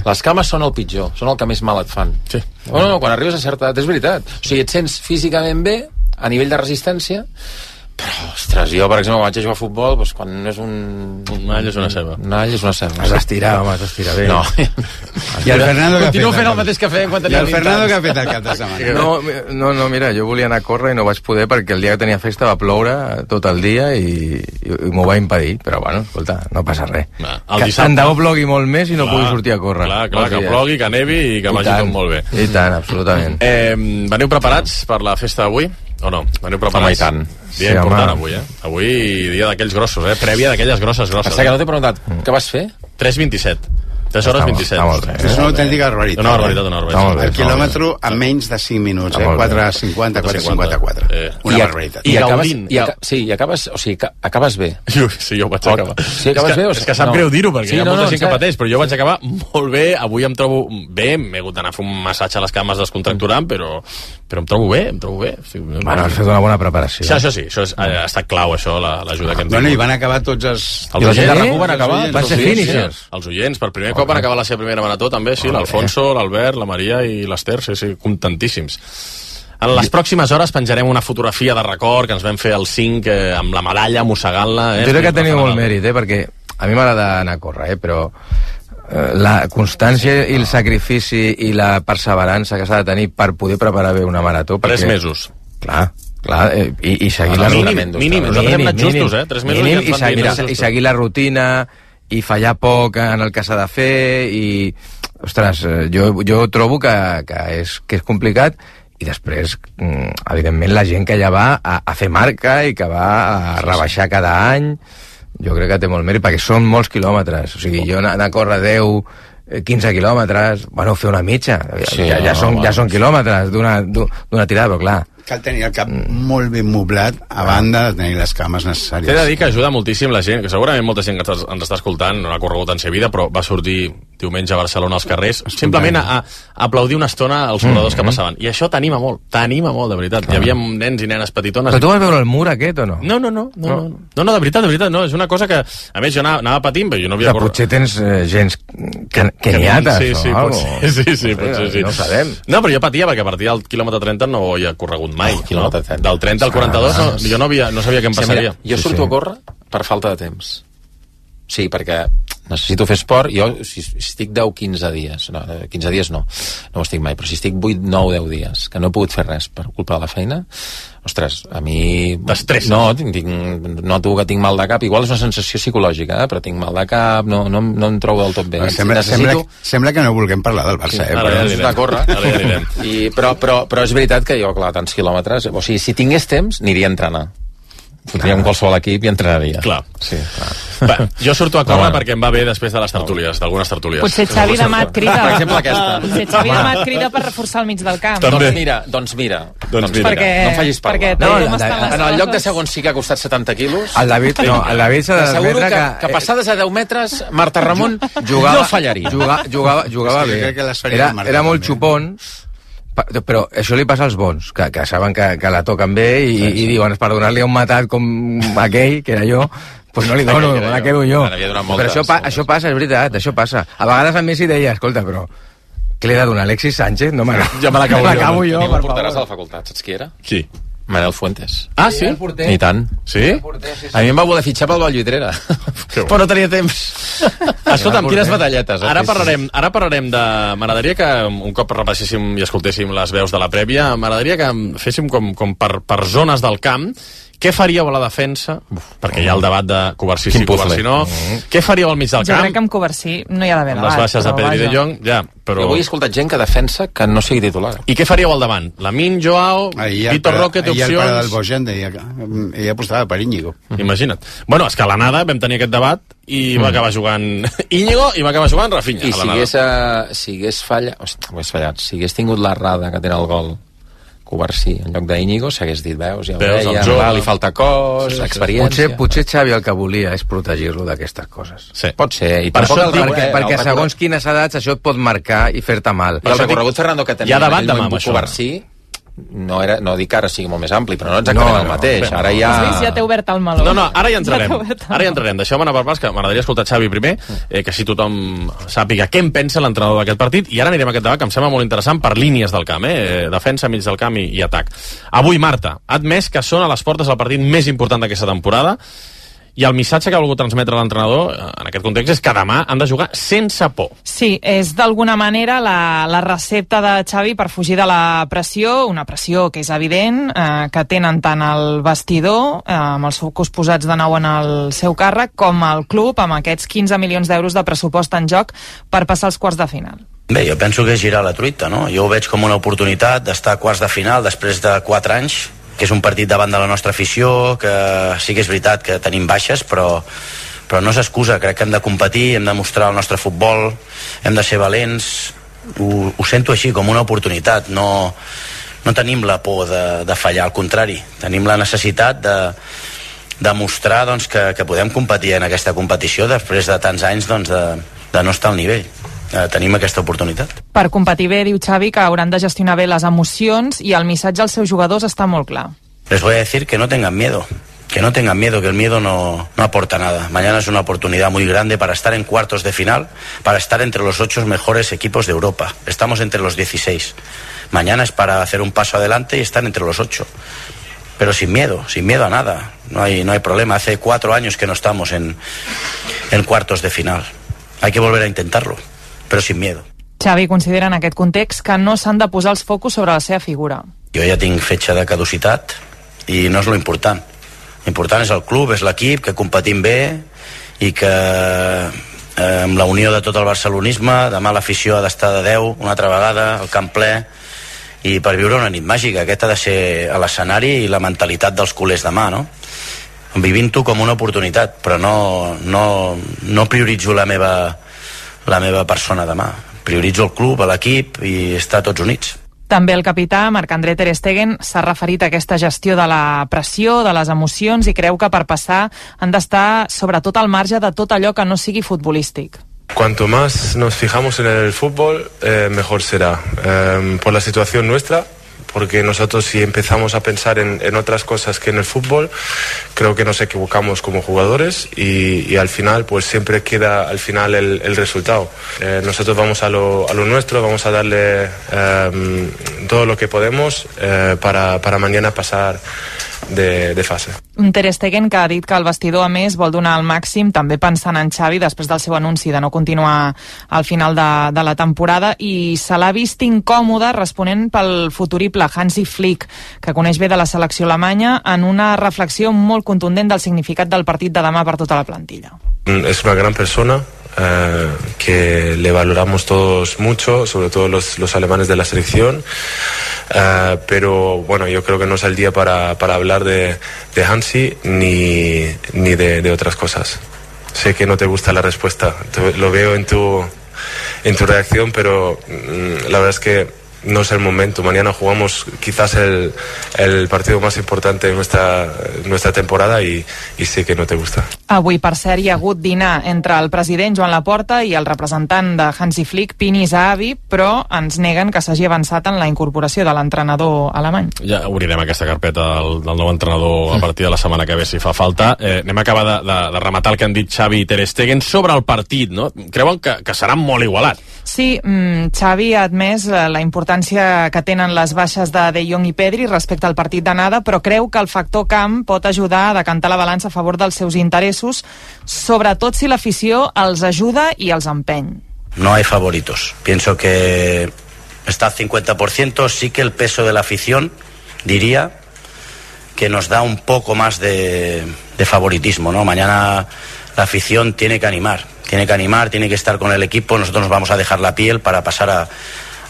Les cames són el pitjor, són el que més mal et fan. Sí. No, no, quan arribes a certa edat, és veritat. O sigui, et sents físicament bé, a nivell de resistència, però, ostres, jo, per exemple, vaig a jugar a futbol, doncs, quan no és un... Un all és una ceba. Un all és una ceba. Has d'estirar, home, has d'estirar bé. No. I el Fernando que ha Continuo fet? fent el mateix que feia quan I tenia el vint Fernando anys. que ha fet el cap de setmana? No, no, no, mira, jo volia anar a córrer i no vaig poder perquè el dia que tenia festa va ploure tot el dia i, i, i m'ho va impedir, però bueno, escolta, no passa res. Va, el Que dissabte- tant de bo plogui molt més i no Clar, pugui sortir a córrer. Clar, clar, Molts que dies. plogui, que nevi i que I vagi tant. tot molt bé. I tant, absolutament. Eh, veniu preparats per la festa d'avui? O no? Veniu preparats? Home, i tant. Dia Sí, important home. avui, eh? Avui dia d'aquells grossos, eh? Prèvia d'aquelles grosses, grosses. Passa que no t'he preguntat, què vas fer? tres vint-i-set. tres hores Està molt- vint-i-set. està molt bé. És una autèntica barbaritat. Una barbaritat, una Està molt barbaritat. bé. El quilòmetre a menys de cinc minuts, eh? Està molt bé. quatre cinquanta, quatre cinquanta-quatre. Eh. Una I, barbaritat. i, acabes, gaudint. i, aca sí, i acabes, o sigui, ca- acabes bé. Jo, sí, jo vaig acabar. Sí, acabes és que, bé o és que sap no? greu dir-ho, perquè Sí, hi ha no, molta no, gent que en pateix, però jo vaig acabar molt bé. Avui em trobo bé, m'he hagut d'anar a fer un massatge a les cames descontracturant, però, però em trobo bé, em trobo bé. Sí, Bueno, has fet una bona preparació. Sí, això sí, això és, ha estat clau, això, la- l'ajuda que hem Bueno, i tingut. van acabar tots els... Els I la gent de oients, RAC1 van acabar? Van ser Sí, finishers. sí. Els oients, per primer cop van acabar la seva primera marató, també, sí, l'Alfonso, l'Albert, la Maria i l'Ester, sí, sí, contentíssims. En les pròximes hores penjarem una fotografia de record que ens vam fer el cinc eh, amb la medalla, mossegant-la. Eh? Jo crec que teniu molt Fenomenal. mèrit, eh? Perquè a mi m'agrada anar a córrer, eh? Però eh, la constància i el sacrifici i la perseverança que s'ha de tenir per poder preparar bé una marató... Perquè, Tres mesos. Clar, clar, eh, i, i seguir Ah, la mínim, rutina. mínim, nosaltres hem anat justos, eh? Tres mesos mínim, ja ens i, van dir, seguir, no, justos. i seguir la rutina i fallar poc en el que s'ha de fer i... Ostres, eh, jo, jo trobo que, que, és, que és complicat i després, mm, evidentment, la gent que ja va a, a fer marca i que va a rebaixar cada any, jo crec que té molt mèrit, perquè són molts quilòmetres. O sigui, jo anar, anar a córrer deu, quinze quilòmetres, bueno, fer una mitja, Sí, ja, ja, no, són, no, ja són quilòmetres d'una d'una tirada, però clar. Cal tenir el cap molt ben moblat a banda de tenir les cames necessàries. T'he de dir que ajuda moltíssim la gent, que segurament molta gent que ens ens està escoltant no ha corregut en sa vida, però va sortir diumenge a Barcelona als carrers, simplement a, a aplaudir una estona als corredors que passaven. I això t'anima molt, t'anima molt, de veritat. Hi havia nens i nenes petitones. Però tu vas veure el mur aquest o no? No, no, no, no, no, no, no de veritat, de veritat, no, és una cosa que, a més, jo anava, anava patint, però jo no havia Que potser tens eh, gens que, que niates sí, sí, o algo. potser, sí, sí, potser sí. No ho sabem. No, però jo patia perquè a partir del quilòmetre trenta no ho havia corregut mai. Oh, quilòmetre trenta. Del trenta al quaranta-dos no, jo no, havia, no sabia què em Sí, passaria. mira, jo surto a córrer per falta de temps. Sí, perquè necessito fer esport. Jo, si, si estic deu quinze dies, no, quinze dies no, no ho estic mai, però si estic vuit, nou, deu dies, que no he pogut fer res per culpa de la feina, ostres, a mi... T'estressa. No, tinc, tinc, noto que tinc mal de cap. Igual és una sensació psicològica, eh? Però tinc mal de cap, no, no, no em trobo del tot bé. Sembla, Necessito... sembla, sembla que no vulguem parlar del Barça, eh? Ara ja anirem. De córrer. Ara ja anirem. I, però, però, però és veritat que jo, clar, tants quilòmetres... O sigui, si tingués temps, aniria a entrenar. Fotria amb qualsevol equip i entrenaria. Clar. Sí, clar. Va, jo surto a córrer Home. perquè em va bé després de les tertúlies, d'algunes tertúlies. Potser Xavi demà et crida. Per exemple, aquesta. Potser Xavi demà et crida per reforçar el mig del camp. Doncs mira, doncs mira. Doncs mira. Perquè, no em facis parlar. perquè No, tal la- com estan les en el lloc de coses- segon sí que ha costat setanta quilos. El David, no, el David s'ha T'asseguro d'admetre que, que... que passades a deu metres, Marta Ramon jugava, no fallaria. Jugava, jugava, jugava És que bé. crec que les faria Era, el Marta era molt també. xupon, pa- però això li passa als bons, que, que saben que, que la toquen bé i, sí, sí. i diuen, per donar-li un matat com aquell, que era jo, pues no li dono, Aquell que era me la jo. quedo jo. Ara havia donat Però moltes, això, pa, això passa, és veritat, això passa. A vegades a Messi deia, escolta, però què li he de donar, Alexis Sánchez? No me la, Ja me l'acabo jo. l'acabo jo, Teniu per un porteràs a favor. la facultat, saps qui era? Qui? Manel Fuentes. Ah, sí? el porter. I tant. Sí? A mi em va voler fitxar pel Vallvidrera. Però no tenia temps. Escolta'm, quines batalletes. eh? Ara Sí, sí. parlarem, ara parlarem de... M'agradaria que un cop repasséssim i escoltéssim les veus de la prèvia, m'agradaria que féssim com, com per, per zones del camp. Què faríeu a la defensa? Uf, perquè hi ha el debat de Covarsí sí, Quin puzzle. Covarsí no. Què faríeu al mig del Jo camp? crec que amb Covarsí no hi ha d'haver Amb les debat. baixes de però Pedri de vaja. Jong, ja, però... Jo avui he escoltat gent que defensa que no sigui titular. I què faríeu al davant? Lamin, Joao, Ahir el Vitor pare- Roque, té ahir el pare del opcions... Bojan deia que ell apostava per Íñigo. Imagina't. Bueno, és que a l'anada vam tenir aquest debat i va acabar jugant Íñigo i va acabar jugant Rafinha. I a si l'anada. hagués, uh, si hagués fallat, hosti, hagués fallat, si hagués tingut l'errada que té el gol Covarsí en lloc d'Íñigo, s'hagués dit, veus, ja ho Veus, el deia, jove. va, li falta cos, Sí, sí. experiència... Potser, potser Xavi el que volia és protegir-lo d'aquestes coses. Sí. Pot ser, i Per tampoc això, el perquè, recorregut- perquè el segons quines edats això et pot marcar i fer-te mal. I el recorregut Fernando que Hi ha tenia debat en aquell demà moment amb això. Covarsí no, era, no dic que ara sigui molt més ampli, però no exactament No, el no, mateix. bé, Ara no. ja... Has vist? Ja t'he obert el meló. No, no, ara hi entrarem. Ja t'he obert el Ara hi entrarem. Deixeu-me anar per parts, que m'agradaria escoltar Xavi primer, eh, que si tothom sàpiga què en pensa l'entrenador d'aquest partit, i ara anirem a aquest debat, que em sembla molt interessant per línies del camp, eh? Defensa, mig del camp i, i atac. Avui, Marta, ha admès que són a les portes del partit més important d'aquesta temporada, i el missatge que ha volgut transmetre l'entrenador eh, en aquest context és que demà han de jugar sense por. Sí, és d'alguna manera la, la recepta de Xavi per fugir de la pressió, una pressió que és evident, eh, que tenen tant el vestidor, eh, amb els focus posats de nou en el seu càrrec, com el club, amb aquests quinze milions d'euros de pressupost en joc per passar als quarts de final. Bé, jo penso que és girar la truita, no? Jo ho veig com una oportunitat d'estar a quarts de final després de quatre anys, que és un partit davant de la nostra afició, que sí que és veritat que tenim baixes, però, però no és excusa. Crec que hem de competir, hem de mostrar el nostre futbol, hem de ser valents. Ho, ho sento així, com una oportunitat. No, no tenim la por de, de fallar, al contrari. Tenim la necessitat de, de mostrar doncs, que, que podem competir en aquesta competició després de tants anys doncs, de, de no estar al nivell. Eh, tenim aquesta oportunitat. Per competir bé, diu Xavi, que hauran de gestionar bé les emocions i el missatge als seus jugadors està molt clar. Les voy a decir que no tengan miedo, que no tengan miedo, que el miedo no, no aporta nada. Mañana es una oportunidad muy grande para estar en cuartos de final, para estar entre los ocho mejores equipos de Europa. Estamos entre los dieciséis. Mañana es para hacer un paso adelante y estar entre los ocho. Pero sin miedo, sin miedo a nada. No hay, no hay problema. Hace cuatro años que no estamos en, en cuartos de final. Hay que volver a intentarlo, pero sin miedo. Xavi considera en aquest context que no s'han de posar els focus sobre la seva figura. Jo ja tinc fetge de caducitat i no és lo important. L'important és el club, és l'equip, que competim bé i que eh, amb la unió de tot el barcelonisme, demà l'afició ha d'estar de deu una altra vegada, el camp ple, i per viure una nit màgica. Aquest ha de ser a l'escenari i la mentalitat dels culers demà, no? Vivint-ho com una oportunitat, però no, no, no prioritzo la meva, la meva persona demà. Prioritzo el club, l'equip i estar tots units. També el capità, Marc-André ter Stegen, s'ha referit a aquesta gestió de la pressió, de les emocions, i creu que per passar han d'estar sobretot al marge de tot allò que no sigui futbolístic. Cuanto más nos fijamos en el fútbol, eh, mejor será. Eh, por la situación nuestra, porque nosotros si empezamos a pensar en, en otras cosas que en el fútbol, creo que nos equivocamos como jugadores y, y al final pues siempre queda al final el, el resultado. Eh, nosotros vamos a lo, a lo nuestro, vamos a darle eh, todo lo que podemos eh, para, para mañana pasar de, de fase. Un Ter Stegen que ha dit que el vestidor, a més, vol donar el màxim, també pensant en Xavi, després del seu anunci de no continuar al final de, de la temporada, i se l'ha vist incòmode responent pel futurible Hansi Flick, que coneix bé de la selecció alemanya, en una reflexió molt contundent del significat del partit de demà per tota la plantilla. Es una gran persona. Eh, que le valoramos todos mucho, sobre todo los, los alemanes de la selección, eh, pero bueno, yo creo que no es el día para, para hablar de, de Hansi ni, ni de, de otras cosas. Sé que no te gusta la respuesta, te, lo veo en tu, en tu reacción, pero mm, la verdad es que no es el momento. Mañana jugamos quizás el, el partido más importante de nuestra, nuestra temporada y, y sé que no te gusta. Avui, per cert, hi ha hagut dinar entre el president Joan Laporta i el representant de Hansi Flick, Pini Zahavi, però ens neguen que s'hagi avançat en la incorporació de l'entrenador alemany. Ja obrirem aquesta carpeta del, del nou entrenador a partir de la setmana que ve, si fa falta. Eh, anem a acabar de, de, de rematar el que han dit Xavi i Ter Stegen sobre el partit, no? Creuen que, que serà molt igualat. Sí, mm, Xavi ha admès la importància que tenen les baixes de De Jong i Pedri respecte al partit d'anada, però creu que el factor camp pot ajudar a decantar la balança a favor dels seus interessos, sobretot si l'afició els ajuda i els empeny. No hay favoritos. Pienso que está al cincuenta por ciento, sí que el peso de la afición, diría, que nos da un poco más de, de favoritismo, ¿no? Mañana la afición tiene que animar, tiene que animar, tiene que estar con el equipo, nosotros nos vamos a dejar la piel para pasar a,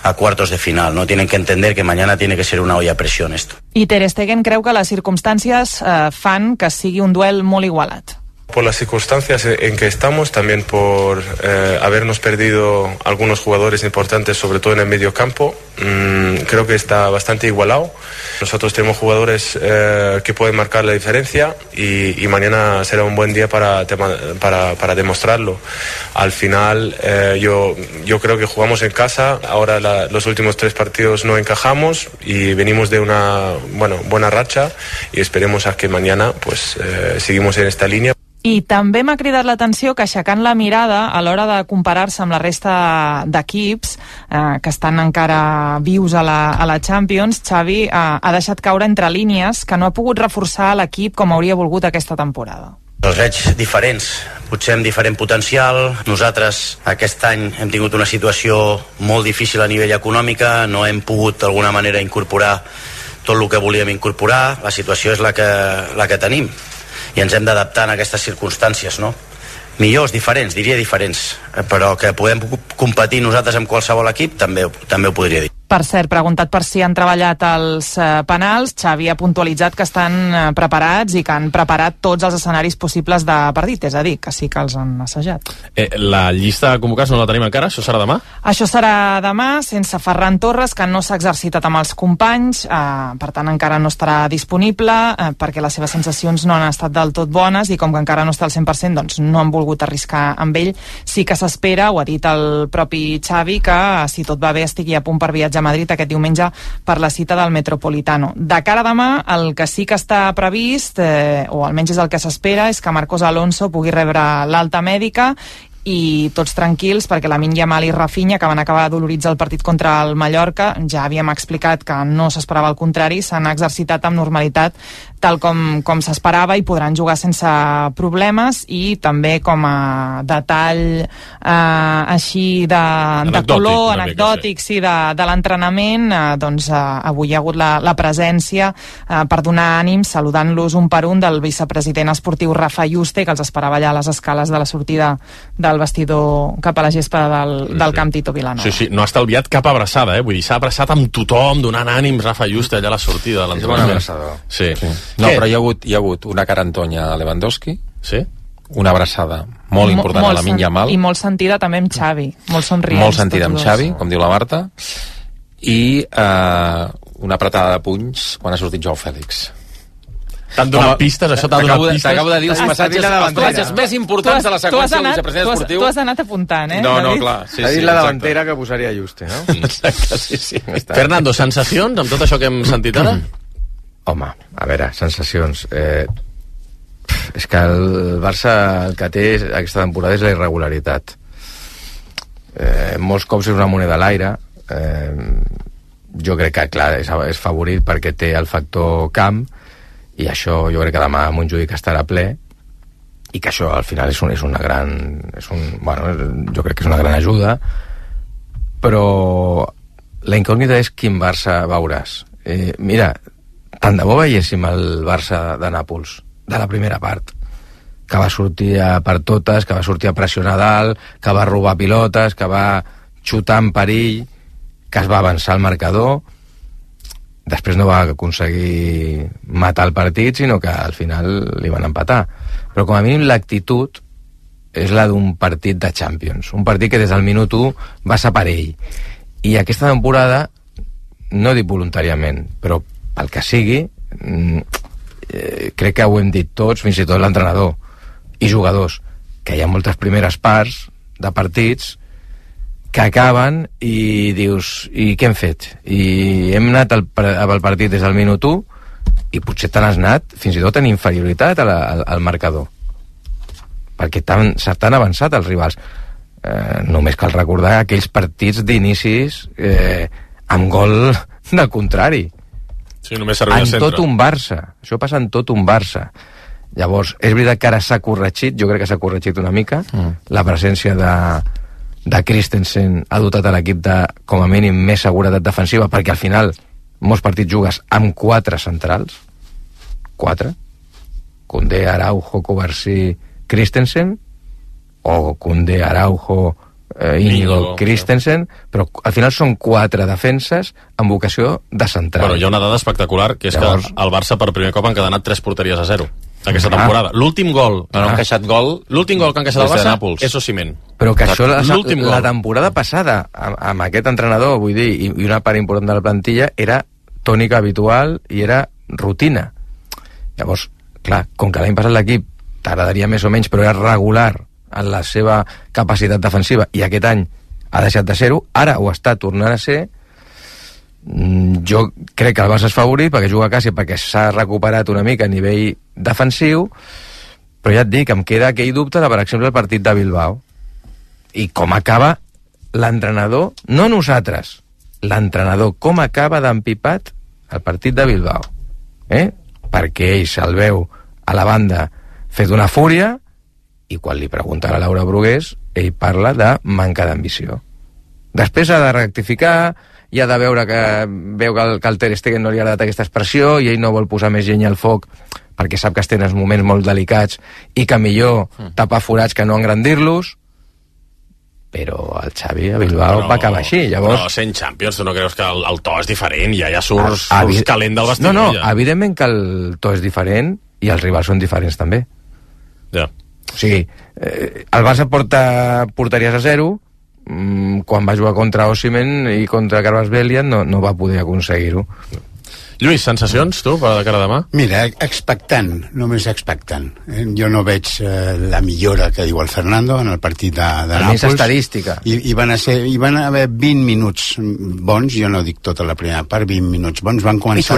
a cuartos de final, ¿no? Tienen que entender que mañana tiene que ser una olla a presión esto. I Ter Stegen creu que les circumstàncies eh, fan que sigui un duel molt igualat. Por las circunstancias en que estamos, también por eh, habernos perdido algunos jugadores importantes, sobre todo en el medio campo, mmm, creo que está bastante igualado. Nosotros tenemos jugadores eh, que pueden marcar la diferencia y, y mañana será un buen día para, para, para demostrarlo. Al final, eh, yo, yo creo que jugamos en casa, ahora la, los últimos tres partidos no encajamos y venimos de una bueno, buena racha y esperemos a que mañana pues eh, seguimos en esta línea. I també m'ha cridat l'atenció que, aixecant la mirada a l'hora de comparar-se amb la resta d'equips eh, que estan encara vius a la, a la Champions, Xavi eh, ha deixat caure entre línies que no ha pogut reforçar l'equip com hauria volgut aquesta temporada. Els veig diferents, potser amb diferent potencial. Nosaltres aquest any hem tingut una situació molt difícil a nivell econòmica, no hem pogut d'alguna manera incorporar tot el que volíem incorporar, la situació és la que, la que tenim i ens hem d'adaptar a aquestes circumstàncies, no? Millors, diferents, diria diferents, però que podem competir nosaltres amb qualsevol equip, també, també ho podria dir. Per cert, preguntat per si han treballat els eh, penals, Xavi ha puntualitzat que estan eh, preparats i que han preparat tots els escenaris possibles de partit, és a dir, que sí que els han assajat. Eh, la llista de convocats no la tenim encara? Això serà demà? Això serà demà, sense Ferran Torres, que no s'ha exercitat amb els companys, eh, per tant encara no estarà disponible, eh, perquè les seves sensacions no han estat del tot bones i com que encara no està al cent per cent, doncs no han volgut arriscar amb ell. Sí que s'espera, ho ha dit el propi Xavi, que si tot va bé estigui a punt per viatjar a Madrid aquest diumenge per la cita del Metropolitano. De cara a demà, el que sí que està previst, eh, o almenys és el que s'espera, és que Marcos Alonso pugui rebre l'alta mèdica i tots tranquils perquè Lamine Yamal i Rafinha, que van acabar dolorits al partit contra el Mallorca, ja havíem explicat que no s'esperava el contrari, s'han exercitat amb normalitat tal com, com s'esperava i podran jugar sense problemes. I també com a detall eh, així de, de color, anecdòtic, sí, de, de l'entrenament, eh, doncs eh, avui hi ha hagut la, la presència eh, per donar ànims, saludant-los un per un, del vicepresident esportiu Rafa Yuste, que els esperava allà a les escales de la sortida del vestidor cap a la gespa del, sí, del Camp Tito Vilanova. Sí, sí, no ha estalviat cap abraçada, eh? Vull dir, s'ha abraçat amb tothom, donant ànims, Rafa Yuste allà a la sortida de l'entrenament. És bona abraçada. Sí. sí. No, Què? Però hi ha, hagut, hi ha hagut una carantonya a Lewandowski, sí? una abraçada molt important Mo, a Lamine Yamal. I molt sentida també amb Xavi, molt somrients. Molt sentida amb Xavi, com diu la Marta, i eh, una apretada de punys quan ha sortit Joao Fèlix. T'han donat pistes, això t'ha donat pistes? T'acabo de dir els passatges, els passatges més importants de la seqüència del vicepresident esportiu. Tu has anat apuntant, eh? No, no, clar. Sí, ha dit sí, la davantera que posaria Juste, no? Exacte, sí, sí. Fernando, sensacions amb tot això que hem sentit ara? Home, a veure, sensacions. Eh, és que el Barça el que té aquesta temporada és la irregularitat. Eh, molts cops és una moneda a l'aire. Eh, jo crec que, clar, és, és favorit perquè té el factor camp, i això jo crec que demà Montjuïc estarà ple, i que això al final és, un, és una gran és un, bueno, jo crec que és una gran ajuda, però la incògnita és quin Barça veuràs. Eh, mira, tant de bo veiéssim el Barça de Nàpols de la primera part, que va sortir a per totes, que va sortir a pressionar dalt, que va robar pilotes, que va xutar en perill, que es va avançar al marcador. Després no va aconseguir matar el partit, sinó que al final li van empatar. Però com a mínim l'actitud és la d'un partit de Champions, un partit que des del minut u va ser per ell. I aquesta temporada, no dic voluntàriament, però pel que sigui, eh, crec que ho hem dit tots, fins i tot l'entrenador i jugadors, que hi ha moltes primeres parts de partits que acaben i dius, i què hem fet? I hem anat al, al partit des del minut u i potser te n'has anat fins i tot en inferioritat a la, al, al marcador, perquè s'han avançat els rivals. Eh, només cal recordar aquells partits d'inicis eh, amb gol del contrari. Sí, només servia en centre. tot un Barça. Això passa en tot un Barça. Llavors, és veritat que ara s'ha corregit, jo crec que s'ha corregit una mica, mm. la presència de de Christensen ha dotat a l'equip de, com a mínim, més seguretat defensiva, perquè al final molts partits jugues amb quatre centrals, quatre, Koundé, Araujo, Covarsí, Christensen, o Koundé, Araujo, eh, Íñigo, Christensen, però al final són quatre defenses amb vocació de central. Bueno, hi ha una dada espectacular, que és Llavors... que el Barça per primer cop han encadenat tres porteries a zero aquesta ah. temporada. L'últim gol no, no han queixat gol l'últim gol que han queixat el Barça és Osimhen. Però que això la, la temporada passada amb, amb aquest entrenador, vull dir, i, i una part important de la plantilla era tònica habitual i era rutina. Llavors, clar, com que l'any passat l'equip t'agradaria més o menys, però era regular en la seva capacitat defensiva, i aquest any ha deixat de ser-ho, ara ho està tornant a ser. Jo crec que el Barça és favorit perquè juga a casa, perquè s'ha recuperat una mica a nivell defensiu, però ja et dic, em queda aquell dubte de, per exemple, el partit de Bilbao, i com acaba l'entrenador, no nosaltres, l'entrenador, com acaba d'empipat el partit de Bilbao, eh? Perquè ell se'l veu a la banda fet una fúria, i quan li pregunta a la Laura Brugués, ell parla de manca d'ambició. Després ha de rectificar, i ha de veure que veu que el, que el Ter Stegen no li ha agradat aquesta expressió i ell no vol posar més llenya al foc perquè sap que estan en moments molt delicats i que millor tapar forats que no engrandir-los, però el Xavi a Bilbao però, va acabar així. Llavors... Però sent Champions, tu no creus que el, el to és diferent? Ja, ja surts, a, surts calent del vestit. No, no, ja. Evidentment que el to és diferent i els rivals són diferents també. Ja. O sigui, eh, el Barça porta porteries a zero, quan va jugar contra Osimhen i contra Carles Bellian no, no va poder aconseguir-ho. Lluís, sensacions, tu, per de cara a demà? Mira, expectant, només expectant. Eh, jo no veig eh, la millora que diu el Fernando en el partit de, de Nàpols. Més estadística. I, i, van a ser, I van haver vint minuts bons, jo no dic tota la primera part, vint minuts bons. Van començar,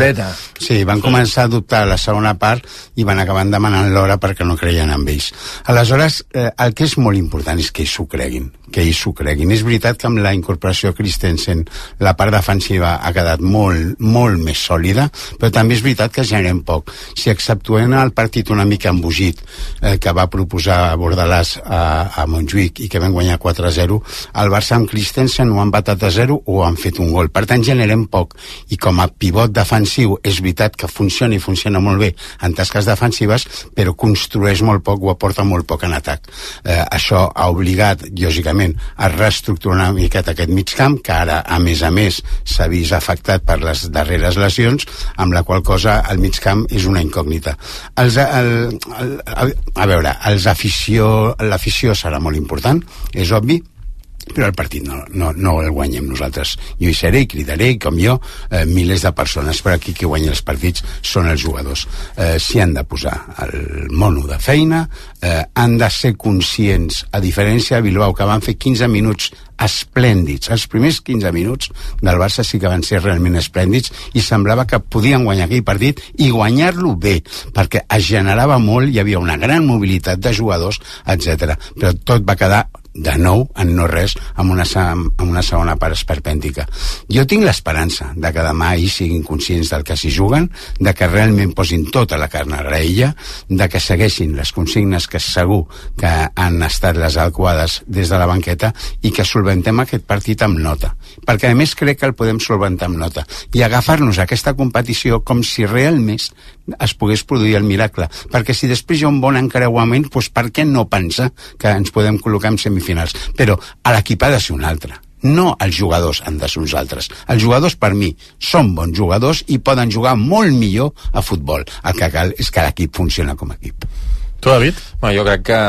sí, van començar a dubtar la segona part i van acabar demanant l'hora perquè no creien en ells. Aleshores, eh, el que és molt important és que ells s'ho creguin, que ells s'ho creguin. És veritat que amb la incorporació Christensen la part defensiva ha quedat molt, molt més sòlida, però també és veritat que generem poc. Si exceptuem el partit una mica embogit eh, que va proposar Bordalàs a, a Montjuïc i que vam guanyar quatre a zero, el Barça amb Christensen ho han batat a zero o han fet un gol. Per tant, generem poc. I com a pivot defensiu és veritat que funciona i funciona molt bé en tasques defensives, però construeix molt poc o aporta molt poc en atac. Eh, això ha obligat, lògicament, a reestructurar una miqueta aquest mig camp, que ara, a més a més, s'ha vist afectat per les darreres lesions, punts, amb la qual cosa el migcamp és una incògnita. Els, el, el, a veure, els afició, l'afició serà molt important, és obvi, però el partit no, no, no el guanyem nosaltres. Jo hi seré i cridaré, com jo, eh, milers de persones, però aquí qui guanya els partits són els jugadors. Eh, S'hi han de posar el mono de feina, eh, han de ser conscients, a diferència de Bilbao, que van fer quinze minuts esplèndids. Els primers quinze minuts del Barça sí que van ser realment esplèndids i semblava que podien guanyar aquell partit i guanyar-lo bé, perquè es generava molt, hi havia una gran mobilitat de jugadors, etcètera. Però tot va quedar de nou en no res, amb una, amb una segona part esperpèntica. Jo tinc l'esperança de que demà ells siguin conscients del que s'hi juguen, de que realment posin tota la carn a la graella, de que segueixin les consignes que segur que han estat les adequades des de la banqueta i que solventem aquest partit amb nota. Perquè a més crec que el podem solventar amb nota i agafar-nos a aquesta competició com si realment es pogués produir el miracle. Perquè si després hi ha un bon encreuament, doncs per què no pensar que ens podem col·locar en semifinals? Però a l'equip ha de ser un altre. No els jugadors han de ser uns altres. Els jugadors, per mi, són bons jugadors i poden jugar molt millor a futbol. El que cal és que l'equip funciona com a equip. Tu, David? Bueno, jo crec que,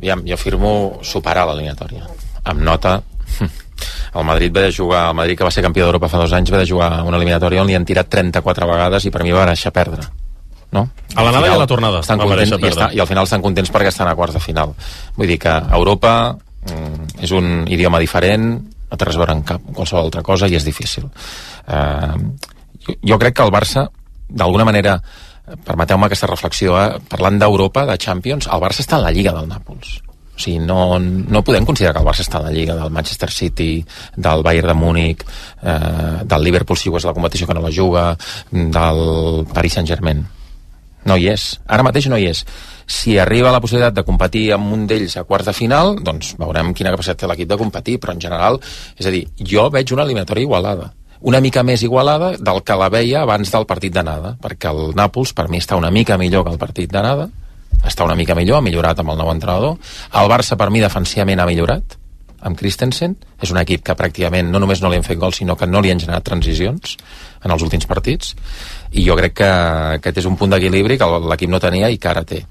ja, jo firmo superar l'eliminatòria. Amb nota, el Madrid va de jugar, el Madrid que va ser campió d'Europa fa dos anys va de jugar una eliminatòria on li han tirat trenta-quatre vegades i per mi va deixar perdre. No? A l'anada i a la tornada estan contents, i, està, i al final estan contents perquè estan a quarts de final. Vull dir que Europa mm, és un idioma diferent, no té res a veure amb cap, qualsevol altra cosa i és difícil. Uh, jo, jo crec que el Barça, d'alguna manera, permeteu-me aquesta reflexió, eh, parlant d'Europa, de Champions, el Barça està en la Lliga del Nàpols. O sigui, no, no podem considerar que el Barça està en la Lliga del Manchester City, del Bayern de Múnich, eh, del Liverpool si jugués la competició que no la juga, del Paris Saint-Germain. No hi és. Ara mateix no hi és. Si arriba la possibilitat de competir amb un d'ells a quarts de final, doncs veurem quina capacitat té l'equip de competir, però en general, és a dir, jo veig una eliminatòria igualada. Una mica més igualada del que la veia abans del partit d'anada, perquè el Nàpols per mi està una mica millor que el partit d'anada, està una mica millor, ha millorat amb el nou entrenador. El Barça per mi defensivament ha millorat amb Christensen, és un equip que pràcticament no només no li han fet gols, sinó que no li han generat transicions en els últims partits, i jo crec que aquest és un punt d'equilibri que l'equip no tenia i que ara té.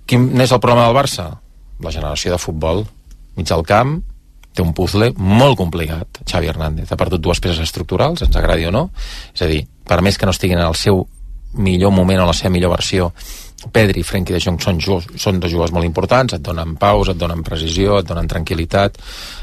Quin és el problema del Barça? La generació de futbol. Mig del camp, té un puzzle molt complicat. Xavi Hernández ha perdut dues peces estructurals, ens agradi o no. És a dir, per més que no estiguin en el seu millor moment o la seva millor versió, Pedri i Frenkie de Jong són, són dos jugadors molt importants, et donen paus, et donen precisió, et donen tranquil·litat,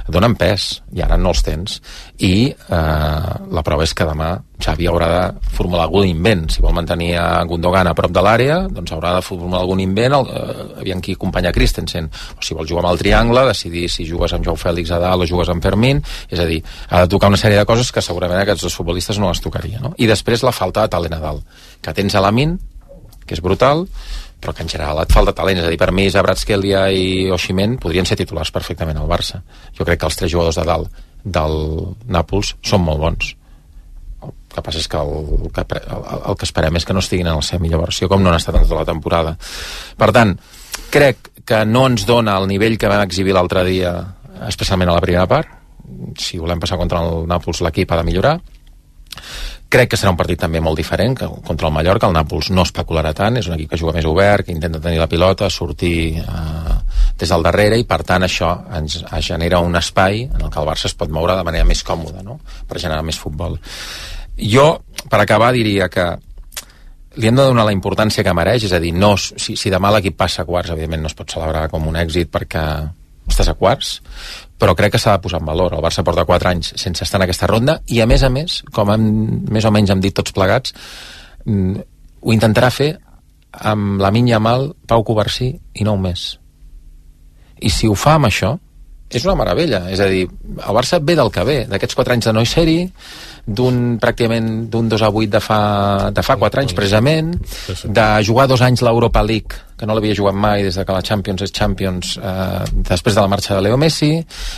et donen pes, i ara no els tens. I eh, la prova és que demà Xavi haurà de formular algun invent. Si vol mantenir a Gundogan a prop de l'àrea, doncs haurà de formular algun invent, eh, aviam qui acompanya Christensen. O si vol jugar amb el triangle, decidir si jugues amb Joao Fèlix a dalt o jugues amb Fermín. És a dir, ha de tocar una sèrie de coses que segurament aquests dos futbolistes no les tocaria. No? I després la falta de talent a dalt. Que tens a Lamin, que és brutal, però que en general et falta talent. És a dir, per mi Kvaratskhelia i Osimhen podrien ser titulars perfectament al Barça. Jo crec que els tres jugadors de dalt del Nàpols són molt bons. El que passa és que el, el, que, el, el que esperem és que no estiguin en la seva millor versió, com no han estat en tota la temporada. Per tant, crec que no ens dona el nivell que vam exhibir l'altre dia, especialment a la primera part. Si volem passar contra el Nàpols, l'equip ha de millorar. Crec que serà un partit també molt diferent que contra el Mallorca. El Nàpols no especularà tant, és un equip que juga més obert, que intenta tenir la pilota, sortir eh, des del darrere, i per tant això ens genera un espai en el que el Barça es pot moure de manera més còmoda, no? Per generar més futbol. Jo, per acabar, diria que li hem de donar la importància que mereix, és a dir, no, si, si demà l'equip passa a quarts, evidentment no es pot celebrar com un èxit perquè estàs a quarts, però crec que s'ha de posar en valor. El Barça porta quatre anys sense estar en aquesta ronda i, a més a més, com hem, més o menys hem dit tots plegats, ho intentarà fer amb Lamine Yamal, Pau Covarsí i nou més. I si ho fa amb això, és una meravella. És a dir, el Barça ve del que ve, d'aquests quatre anys de no ser-hi, d'un pràcticament d'un dos a vuit de fa, de fa quatre anys precisament, de jugar dos anys l'Europa League, que no l'havia jugat mai des de que la Champions és Champions, eh, després de la marxa de Leo Messi,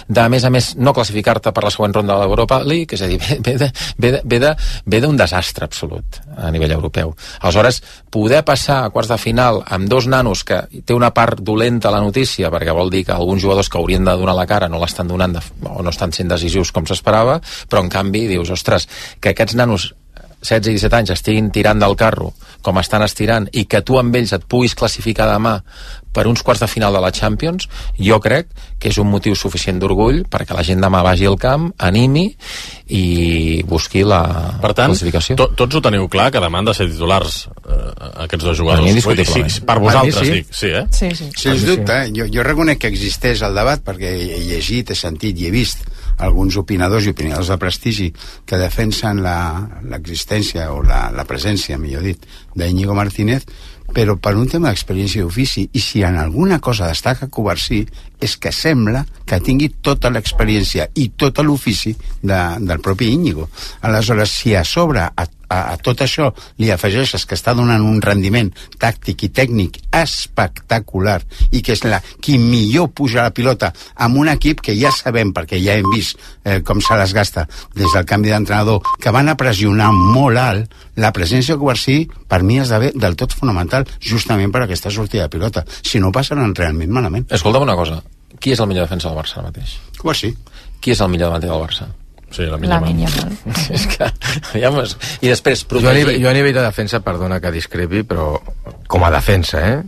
de a més a més no classificar-te per la següent ronda de l'Europa League, és a dir, ve, de, ve, de, ve, de, ve d'un desastre absolut a nivell europeu. Aleshores, poder passar a quarts de final amb dos nanos, que té una part dolenta a la notícia, perquè vol dir que alguns jugadors que haurien de donar la cara no l'estan donant de, o no estan sent decisius com s'esperava, però en canvi dius, ostres, que aquests nanos setze i disset anys estiguin tirant del carro com estan estirant i que tu amb ells et puguis classificar demà per uns quarts de final de la Champions, jo crec que és un motiu suficient d'orgull perquè la gent demà vagi al camp, animi i busqui la per tant, classificació. To, tots ho teniu clar que demà han de ser titulars eh, aquests dos jugadors. Indiscutiblement. Sí, per vosaltres, sí. dic. Sí, eh? Sí, sí. Sens dubte, eh? jo, jo reconec que existeix el debat perquè he llegit, he sentit i he vist alguns opinadors i opinadors de prestigi que defensen l'existència o la, la presència, millor dit, d'Íñigo Martínez, però per un tema d'experiència i ofici, i si en alguna cosa destaca Covarsí, és que sembla que tingui tota l'experiència i tot l'ofici de, del propi Íñigo. Aleshores, si a sobre a, a, a tot això li afegeixes que està donant un rendiment tàctic i tècnic espectacular i que és la, qui millor puja la pilota amb un equip que ja sabem, perquè ja hem vist eh, com se les gasta des del canvi d'entrenador, que van a pressionar molt alt, la presència de Covarsí per mi esdevé del tot fonamental justament per aquesta sortida de pilota. Si no, passaran realment malament. Escolta'm una cosa, qui és el millor defensa del Barça ara mateix? Covarsí. Qui és el millor davanter del Barça? Sí, la Lamine Yamal. És que, ja mes... I després, protegir... Jo a, nivell, jo a nivell de defensa, perdona que discrepi, però com a defensa, eh?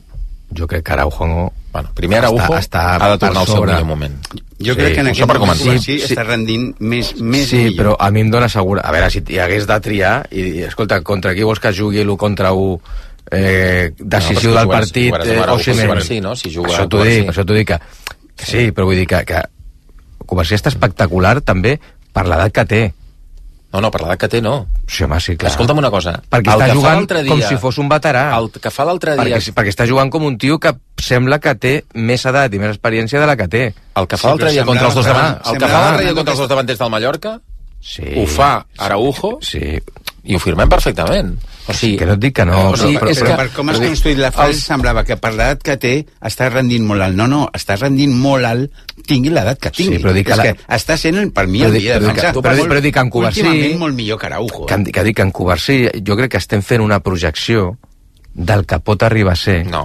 Jo crec que Araujo no... Bueno, primer Araujo està, està ha de tornar al seu millor moment. Jo sí, crec que en aquest moment sí, sí, està rendint més, més sí, millor. Però a mi em dóna segura... A veure, si hi hagués de triar, i, i escolta, contra qui vols que jugui l'u contra u eh, decisiu no, del partit eh, Osimhen? Sí, no? Si juga això t'ho dic, això t'ho dic que, que sí, però vull dir que, que Covarsí està espectacular també per l'edat que té. No, no, per l'edat que té no. Sí, home, sí, clar. Escolta'm una cosa. Perquè el està que jugant dia, com si fos un veterà. El que fa l'altre dia... Perquè, perquè està jugant com un tio que sembla que té més edat i més experiència de la que té. El que fa l'altre dia contra els dos davanters... El que fa l'altre dia contra els dos davanters del Mallorca sí, ho fa Araujo sí. I ho firmem perfectament. O sigui, que no et dic que no. O sigui, però, però, però per com has construït la frase semblava que per l'edat que té està rendint molt alt. No, no, està rendint molt alt tingui l'edat que tingui. Sí, però dic és que, que la... està sent per mi el dia de defensa. Però, però, però dic que en Covarsí... Últimament molt millor que Araujo. Que, que dic que en Covarsí jo crec que estem fent una projecció del que pot arribar a ser. No.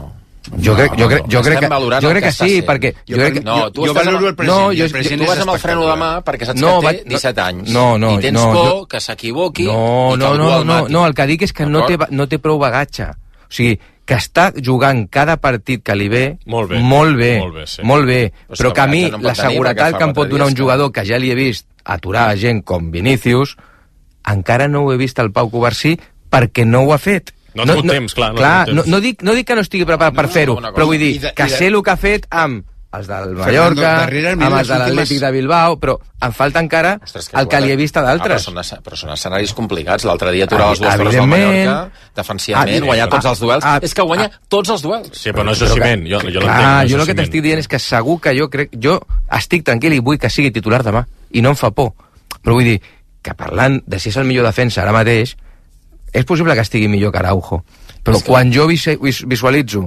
Jo crec, jo crec, jo crec que, jo crec que sí, perquè... Jo, crec que, no, tu, jo valoro el present, no, jo, el present tu vas amb el freno de mà perquè saps no, que té disset anys. No, no, I tens no, por jo... que s'equivoqui no, i que no, algú no, el no, mati. no, el que dic és que no té, no té prou bagatge. O sigui, que està jugant cada partit que li ve molt bé, molt bé, molt bé, sí. molt bé però, però que a mi no la seguretat que em pot donar un jugador que ja li he vist aturar gent com Vinícius, encara no ho he vist al Pau Covarsí perquè no ho ha fet. No ha tingut no, temps, clar. No, clar temps. no, no, dic, no dic que no estigui preparat per no, fer-ho, no, però vull dir de, que de... sé el que ha fet amb els del Mallorca, Fernando, amb els de l'Atlètic de Bilbao, però em falta encara Ostres, que el que li he vist a d'altres. Ah, però, són, però són escenaris complicats. L'altre dia aturar les dues torres del Mallorca, defensivament, guanyar tots els duels. Ah, és que guanya ah, tots els duels. Sí, però no és Osimhen. Jo, jo clar, jo el que t'estic dient és que segur que jo crec... Jo estic tranquil i vull que sigui titular demà. I no em fa por. Però vull dir que parlant de si és el millor defensa ara mateix, és possible que estigui millor que Araujo. Però que... quan jo visualitzo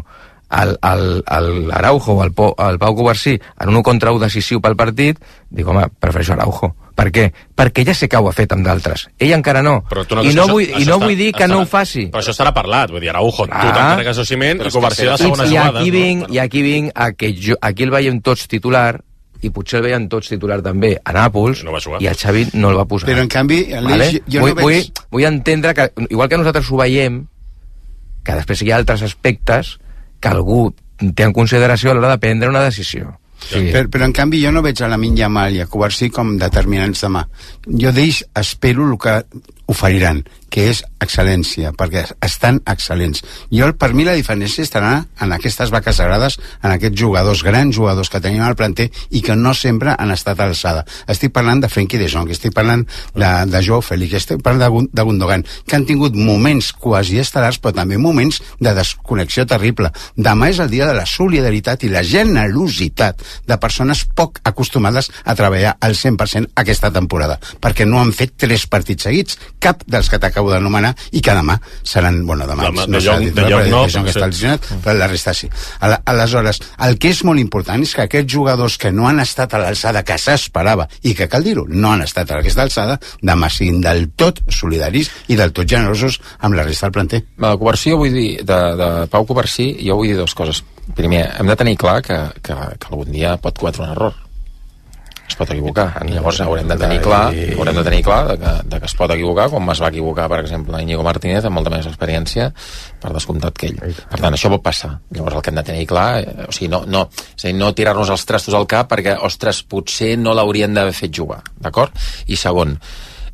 el, el, el Araujo o el, el Pau Covarsí en un contra un decisiu pel partit, dic, home, prefereixo Araujo. Per què? Perquè ja sé que ho ha fet amb d'altres. Ell encara no. no I no, vull, i no vull dir que estarà, no ho faci. Però això estarà parlat. Vull dir, Araujo, ah, tu t'encarregues Osimhen i Covarsí a la segona i, jugada. I aquí vinc, no? i aquí vinc a que jo, aquí el veiem tots titular, i potser el veien tots titular també a Nàpols, no i el Xavi no el va posar. Però en canvi, vale? jo vull, no veig... vull, vull entendre que, igual que nosaltres ho veiem, que després hi ha altres aspectes que algú té en consideració a l'hora de prendre una decisió. Sí. Però, però en canvi jo no veig a Lamine Yamal i a Covarsí com determinants demà. Jo d'ells espero el que oferiran, que és excel·lència, perquè estan excel·lents. Jo, per mi la diferència estarà en aquestes vaques sagrades, en aquests jugadors, grans jugadors que tenim al planter i que no sempre han estat a l'alçada. Estic parlant de Frenkie de Jong, estic parlant de, de Joao Félix, estic parlant de, de Gundogan, que han tingut moments quasi estel·lars, però també moments de desconnexió terrible. Demà és el dia de la solidaritat i la generositat de persones poc acostumades a treballar al cent per cent aquesta temporada, perquè no han fet tres partits seguits, cap dels que t'acabo d'anomenar, i que demà seran, bueno, demà Demà, no de serà Jong, titular, de Jong no, de Jong està lesionat, però la resta sí. Al, aleshores, el que és molt important és que aquests jugadors que no han estat a l'alçada que s'esperava, i que cal dir-ho, no han estat a aquesta alçada, demà siguin del tot solidaris i del tot generosos amb la resta del planter. De Covarsí, jo vull dir, de, de Pau Covarsí, jo vull dir dues coses. Primer, hem de tenir clar que, que, que algun dia pot cometre un error. es pot equivocar. Llavors haurem de tenir clar, haurem de tenir clar de que, de que es pot equivocar, com es va equivocar, per exemple, Íñigo Martínez, amb molta més experiència, per descomptat que ell. Per tant, això pot passar. Llavors el que hem de tenir clar, eh, o sigui, no, no, és a dir, no tirar-nos els trastos al cap perquè, ostres, potser no l'haurien d'haver fet jugar, d'acord? I segon,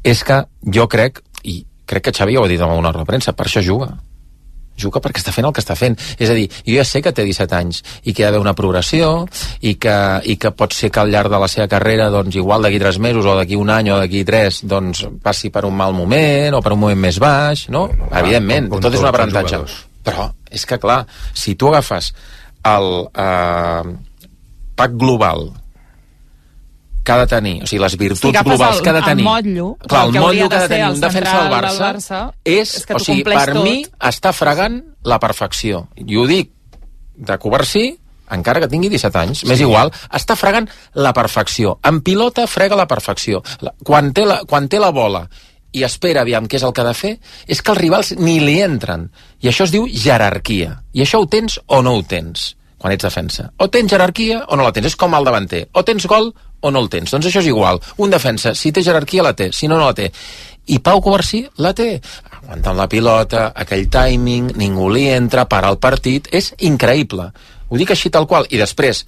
és que jo crec, i crec que Xavi ho ha dit en alguna roda de premsa, per això juga. Juga perquè està fent el que està fent. És a dir, jo ja sé que té disset anys i que hi ha d'haver una progressió i que, i que pot ser que al llarg de la seva carrera, doncs, igual d'aquí tres mesos o d'aquí un any o d'aquí tres, doncs, passi per un mal moment o per un moment més baix, no? no Evidentment, tot és un aprenentatge. Però és que, clar, si tu agafes el eh, pack global que ha de tenir, o sigui, les virtuts si globals el, que ha de tenir... el motllo, clar, el, el motllo que ha de tenir un defensa del Barça, Barça és, és que o sigui, per tot. mi està fregant la perfecció. I ho dic de covarsí, encara que tingui disset anys, sí. M'és igual, està fregant la perfecció. En pilota frega la perfecció. La, quan, té la, quan té la bola i espera aviam què és el que ha de fer, és que els rivals ni li entren. I això es diu jerarquia. I això ho tens o no ho tens quan ets defensa. O tens jerarquia o no la tens. És com el davanter. O tens gol o no el tens. Doncs això és igual. Un defensa, si té jerarquia, la té. Si no, no la té. I Pau Covarsí la té. Aguantant la pilota, aquell timing, ningú li entra, para el partit. És increïble. Ho dic així tal qual. I després,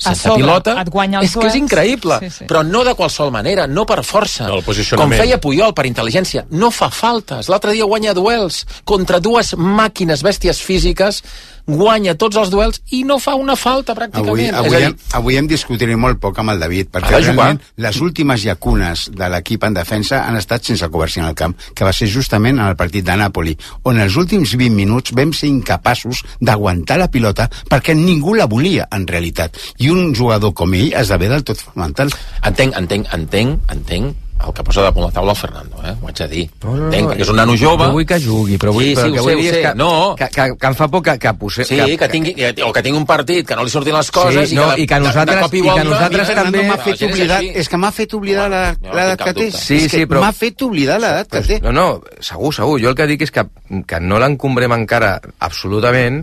sense sobre, pilota, és que és duels. increïble. Sí, sí. Però no de qualsevol manera, no per força. No, com feia Puyol, per intel·ligència. No fa faltes. L'altre dia guanya duels contra dues màquines, bèsties físiques, guanya tots els duels i no fa una falta pràcticament. Avui, avui, hem, avui hem discutit molt poc amb el David, perquè realment les últimes llacunes de l'equip en defensa han estat sense Covarsí en el camp, que va ser justament en el partit de Nàpoli, on els últims vint minuts vam ser incapaços d'aguantar la pilota perquè ningú la volia, en realitat. I un jugador com ell esdevé del tot fonamental. Entenc, entenc, entenc, entenc el que posa damunt la taula el Fernando, eh? Ho haig de dir. No, no, entenc, perquè és un nano jove. No vull que jugui, però vull, sí, però sí, que ho vull sé, dir ho és sé. que, no. que, que, que em fa por que, que, posse, sí, que, que, tingui, que, o que tingui un partit, que no li surtin les coses sí, i, no, que, i que nosaltres, de, de i que nosaltres mira, també... M'ha fet oblidar, és que m'ha fet oblidar l'edat que té. Sí, és sí, que però... m'ha fet oblidar l'edat que té. No, no, segur, segur. Jo el que dic és que, que no l'encombrem encara absolutament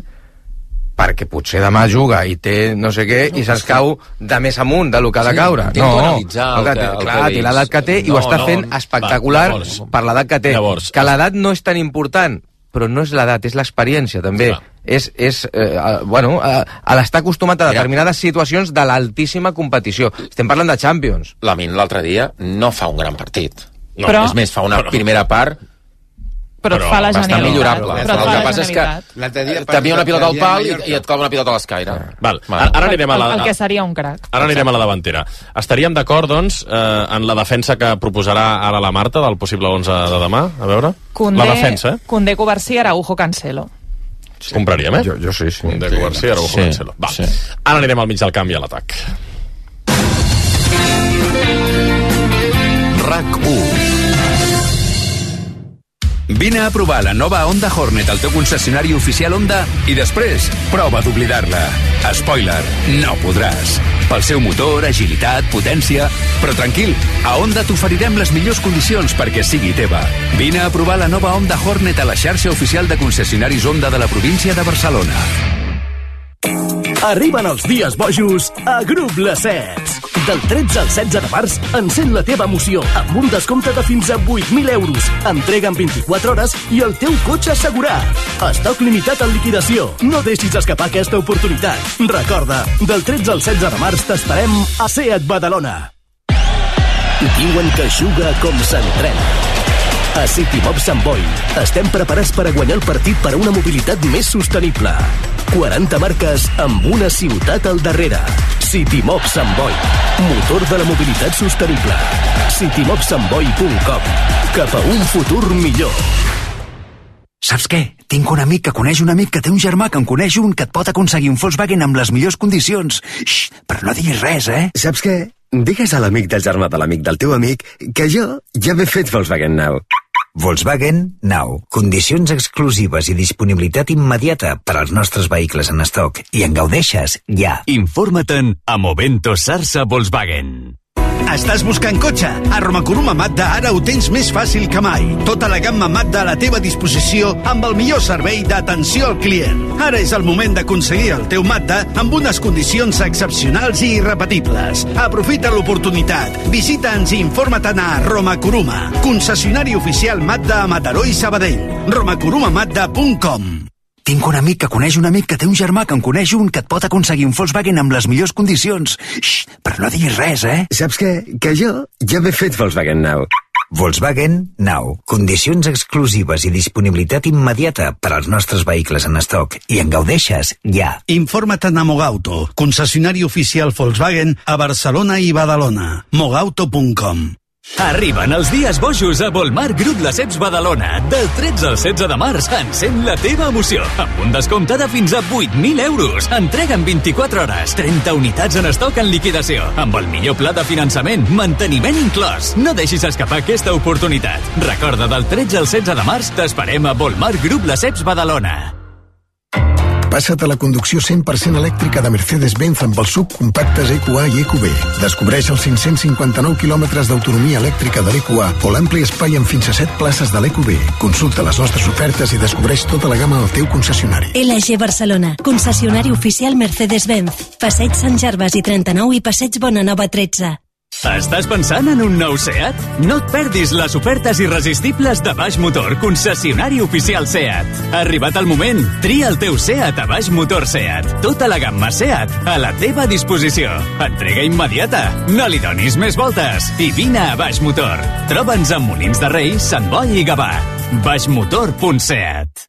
perquè potser demà juga i té no sé què no, i se'ns cau de més amunt de lo que ha de caure. Sí, no, analitzar el que, que, el clar, que té l'edat que té i no, ho està fent no, espectacular va, llavors, per l'edat que té. Llavors, que l'edat no és tan important, però no és l'edat, és l'experiència també. Clar. És, és eh, bueno, a, a l'estar acostumat a determinades situacions de l'altíssima competició. Estem parlant de Champions. Lamin l'altre dia no fa un gran partit. No, però, és més, fa una però, primera part però, però et fa la bastant millorable. Però el que passa és que t'havia una pilota al pal i, i et clava una pilota a l'escaire. Val. Ara anirem a la... El que seria un crac. Ara anirem a la davantera. Estaríem d'acord, doncs, eh, en la defensa que proposarà ara la Marta del possible onze de demà? A veure? Condé, la defensa, eh? Condé, Covarsí, Araujo, Cancelo. Sí. Compraríem, eh? Jo, jo sí, sí. Condé, Covarsí, Araujo, sí, Cancelo. Va. Sí. Ara anirem al mig del camp i a l'atac. RAC u. Vine a provar la nova Honda Hornet al teu concessionari oficial Honda i després prova d'oblidar-la. Spoiler, no podràs. Pel seu motor, agilitat, potència... Però tranquil, a Honda t'oferirem les millors condicions perquè sigui teva. Vine a provar la nova Honda Hornet a la xarxa oficial de concessionaris Honda de la província de Barcelona. Arriben els dies bojos a Grup Lacets. Del tretze al setze de març, encén la teva emoció amb un descompte de fins a vuit mil euros. Entrega en vint-i-quatre hores i el teu cotxe assegurat. Estoc limitat en liquidació. No deixis escapar aquesta oportunitat. Recorda, del tretze al setze de març t'esperem a Seat Badalona. Diuen que juga com s'entrena. A City Mob Sant Boi estem preparats per a guanyar el partit per a una mobilitat més sostenible. quaranta marques amb una ciutat al darrere. City Mob Sant Boi, motor de la mobilitat sostenible. city mob sant boi punt com. Cap a un futur millor. Saps què? Tinc un amic que coneix un amic que té un germà que en coneix un que et pot aconseguir un Volkswagen amb les millors condicions. Xxt, però no diguis res, eh? Saps què? Digues a l'amic del germà de l'amic del teu amic que jo ja m'he fet Volkswagen Now. Volkswagen Now. Condicions exclusives i disponibilitat immediata per als nostres vehicles en estoc. I en gaudeixes ja. Informa-te'n a Movento Sarsa Volkswagen. Estàs buscant cotxe? A Romakuruma Mazda ara ho tens més fàcil que mai. Tota la gamma Mazda a la teva disposició amb el millor servei d'atenció al client. Ara és el moment d'aconseguir el teu Mazda amb unes condicions excepcionals i irrepetibles. Aprofita l'oportunitat. Visita'ns i informa-te'n a Romakuruma, concessionari oficial Mazda a Mataró i Sabadell. romakuruma mazda punt com. Tinc un amic que coneix un amic que té un germà que en coneix un que et pot aconseguir un Volkswagen amb les millors condicions. Xxt, però no diguis res, eh? Saps què? Que jo ja m'he fet Volkswagen Now. Volkswagen Now. Condicions exclusives i disponibilitat immediata per als nostres vehicles en estoc. I en gaudeixes ja. Informa't a Mogauto, concessionari oficial Volkswagen a Barcelona i Badalona. mogauto punt com. Arriben els dies bojos a Volmar Grup Lesseps Badalona. Del tretze al setze de març, encén la teva emoció. Amb un descompte de fins a vuit mil euros. Entrega en vint-i-quatre hores. trenta unitats en estoc en liquidació. Amb el millor pla de finançament, manteniment inclòs. No deixis escapar aquesta oportunitat. Recorda, del tretze al setze de març, t'esperem a Volmar Grup Lesseps Badalona. Passa't a la conducció cent per cent elèctrica de Mercedes-Benz amb els subcompactes E Q A i E Q B. Descobreix els cinc-cents cinquanta-nou quilòmetres d'autonomia elèctrica de l'E Q A o l'ampli espai amb fins a set places de l'E Q B. Consulta les nostres ofertes i descobreix tota la gamma al teu concessionari. L G Barcelona, concessionari oficial Mercedes-Benz. Passeig Sant Gervasi i trenta-nou i Passeig Bonanova tretze. Estàs pensant en un nou SEAT? No et perdis les ofertes irresistibles de Baix Motor, concessionari oficial SEAT. Ha arribat el moment. Tria el teu SEAT a Baix Motor SEAT. Tota la gamma SEAT a la teva disposició. Entrega immediata. No li donis més voltes. I vine a Baix Motor. Troba'ns a Molins de Rei, Sant Boi i Gavà. baixmotor punt set.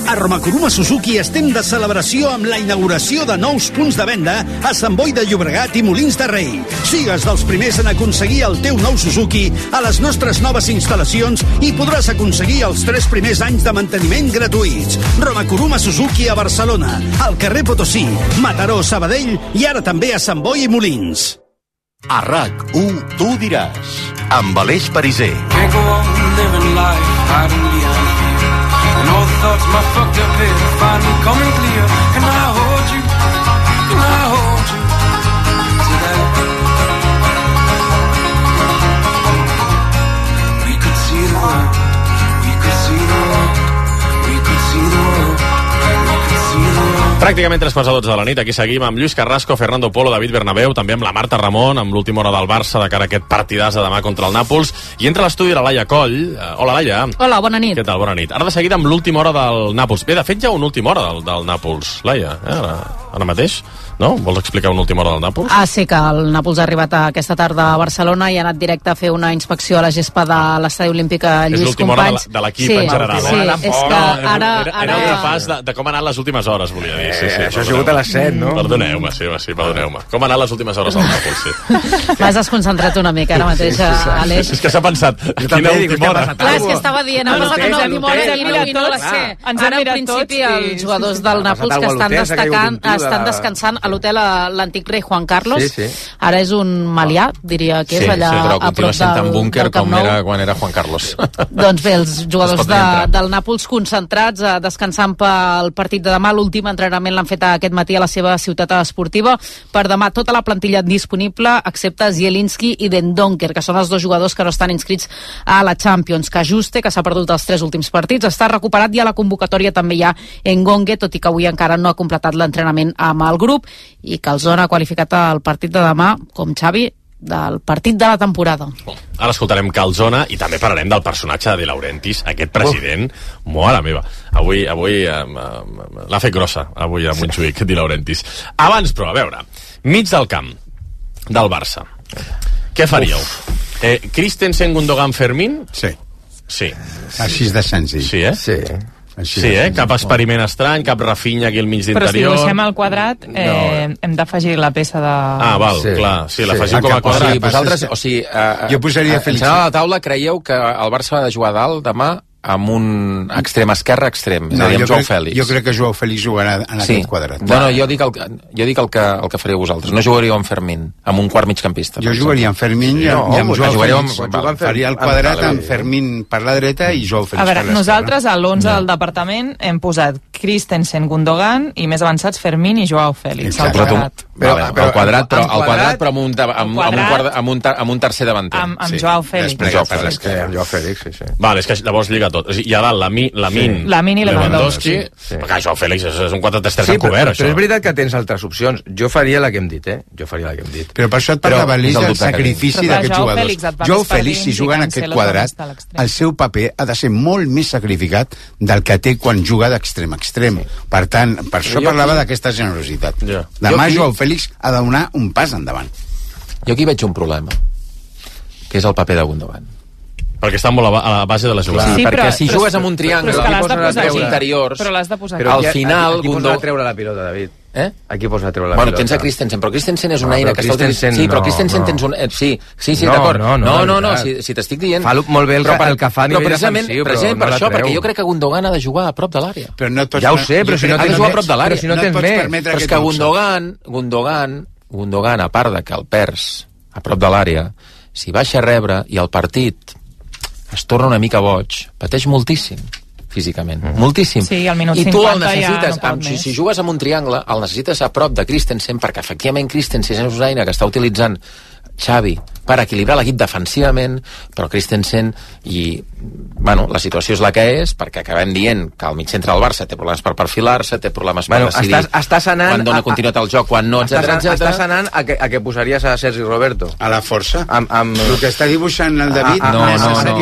A Romakuruma Suzuki estem de celebració amb la inauguració de nous punts de venda a Sant Boi de Llobregat i Molins de Rei. Sigues dels primers en aconseguir el teu nou Suzuki a les nostres noves instal·lacions i podràs aconseguir els tres primers anys de manteniment gratuïts. Romakuruma Suzuki a Barcelona, al carrer Potosí, Mataró, Sabadell i ara també a Sant Boi i Molins. A RAC u, tu diràs, amb Aleix Pariser. Can't go on living life hiding behind fear. And all the thoughts my fucked up head are finally coming clear. Can I hold you? Can I hold you? Today we could see the world. We could see the world. We could see the world. We could see the world. Pràcticament tres quarts a dotze de la nit, aquí seguim amb Lluís Carrasco, Fernando Polo, David Bernabéu, també amb la Marta Ramon, amb l'última hora del Barça de cara a aquest partidàs de demà contra el Nàpols, i entra a l'estudi la Laia Coll. Uh, hola, Laia. Hola, bona nit. Què tal? Bona nit. Ara de seguida amb l'última hora del Nàpols. Bé, de fet, ja una última hora del, del Nàpols, Laia, eh? ara, ara mateix. No? Vols explicar una última hora del Nàpols? Ah, sí, que el Nàpols ha arribat aquesta tarda a Barcelona i ha anat directe a fer una inspecció a la gespa de l'estadi olímpic a Lluís Companys. És l'última hora de l'equip sí, en general. Sí, eh? és que ara... Era, era un repàs de, de com han anat les últimes hores, volia dir. Sí, sí, eh, això ha sigut a les set, no? Perdoneu-me, sí, sí, perdoneu-me. Com han anat les últimes hores del Nàpols, sí. M'has desconcentrat una mica ara mateix, sí, sí, sí. Aleix. És que s'ha pensat, quina última hora. Clar, és que estava dient, ha passat una última hora i no, i no la sé. Ara, en principi, els jugadors del Nàpols que estan destacant, estan descansant a l'hotel l'antic rei Juan Carlos. Sí, sí. Ara és un malià, diria que és sí, allà sí, però a prop del, un búnquer com era quan era Juan Carlos. Doncs bé, els jugadors de, del Nàpols concentrats, eh, descansant pel partit de demà. L'últim entrenament l'han fet aquest matí a la seva ciutat esportiva. Per demà tota la plantilla disponible, excepte Zielinski i Den Donker, que són els dos jugadors que no estan inscrits a la Champions. Cajuste, que s'ha perdut els tres últims partits, està recuperat i a la convocatòria també hi ha Engongue, tot i que avui encara no ha completat l'entrenament amb el grup, i que el Zona ha qualificat el partit de demà com Xavi del partit de la temporada. Ara escoltarem Calzona i també parlarem del personatge de De Laurentiis, aquest president. Oh. Mare meva, avui, avui eh, l'ha fet grossa, avui a Montjuïc, De Laurentiis. Abans, però, a veure, mig del camp del Barça, què faríeu? Eh, Christensen, Gundogan, Fermín? Sí. Sí. Així de senzill. Sí, eh? Sí. Així sí, eh? Cap experiment estrany, cap Rafinha aquí al mig d'interior. Però si dibuixem el quadrat, eh, no. hem d'afegir la peça de... Ah, val, sí. clar. Sí, l'afegim sí. com a quadrat. Sí, vosaltres, o sigui, uh, jo posaria Felix. En general, a la taula, creieu que el Barça ha de jugar dalt demà amb un extrem esquerre extrem, és no, a dir, amb Joao crec, Fèlix. Jo crec que Joao Fèlix jugarà en sí. aquest quadrat. No, no, jo dic el, jo dic el que, el que faríeu vosaltres. No jugaríeu amb Fermín, amb un quart migcampista. Jo jugaria amb Fermín i amb, no, i amb Joao Fèlix. Amb, amb, faria el quadrat amb Fermín per la dreta i Joao Fèlix per l'esquerra. A veure, nosaltres a l'onze no. del departament hem posat Christensen, Gundogan i més avançats Fermín i Joao Félix. Al quadrat. Però, vale, però, al quadrat, però, al quadrat, però amb un, amb, amb, un, quadrat, amb, un, amb un tercer davanter. Amb, amb sí. Joao Félix. Joao Félix. Sí, amb Joao Félix, sí, sí. Vale, és que llavors lliga tot. O sigui, hi ha dalt la, mi, la Min, sí. la Min i Lewandowski. Sí. Perquè Joao Félix és, és un quatre tres tres sí, encobert, però, això. Però és veritat que tens altres opcions. Jo faria la que hem dit, eh? Jo faria la que hem dit. Però per això et parlava l'Elís del sacrifici d'aquests jugadors. Joao Félix, si juga en aquest quadrat, el seu paper ha de ser molt més sacrificat del que té quan juga d'extrem a extrem. Per tant, per això parlava d'aquesta generositat. Demà Joao Félix ha de donar un pas endavant. Jo aquí veig un problema, que és el paper de Gundogan. Perquè està molt a la base de la jugada. Sí, perquè si jugues amb un triangle als interiors, però l'has de posar al final... Aquí posa a treure la pilota, David. Eh? Aquí posa a treure la bueno, pilota. Tens a Christensen, però Christensen és una no, eina que està utilitzant... Sí, però Christensen no, tens un... Eh, sí, sí, sí, no, d'acord. No, no, no, no, si, si t'estic dient... Fa molt bé el, però, el que fa a nivell defensiu, però, precisament però per no això, perquè jo crec que Gundogan ha de jugar a prop de l'àrea. Però no tots... Ja ho sé, però si no ha de jugar a prop de l'àrea. Si no tens més... Però és que Gundogan, Gundogan, Gundogan, a part de que el perds a prop de l'àrea, si baixa a rebre i el partit es torna una mica boig, pateix moltíssim físicament, mm. moltíssim. Sí, al minut I tu el necessites, ja no amb, si, si jugues amb un triangle, el necessites a prop de Christensen, perquè efectivament Christensen és una eina que està utilitzant Xavi per equilibrar l'equip defensivament, però Christensen i, bueno, la situació és la que és, perquè acabem dient que el mig centre del Barça té problemes per perfilar-se, té problemes bueno, per decidir estàs, estàs anant, quan dona continuïtat al joc, quan no, etcètera, etcètera. Estàs anant a que, a que posaries a Sergi Roberto. A la força. Amb, amb... El que està dibuixant el David... Ah, no, no, no.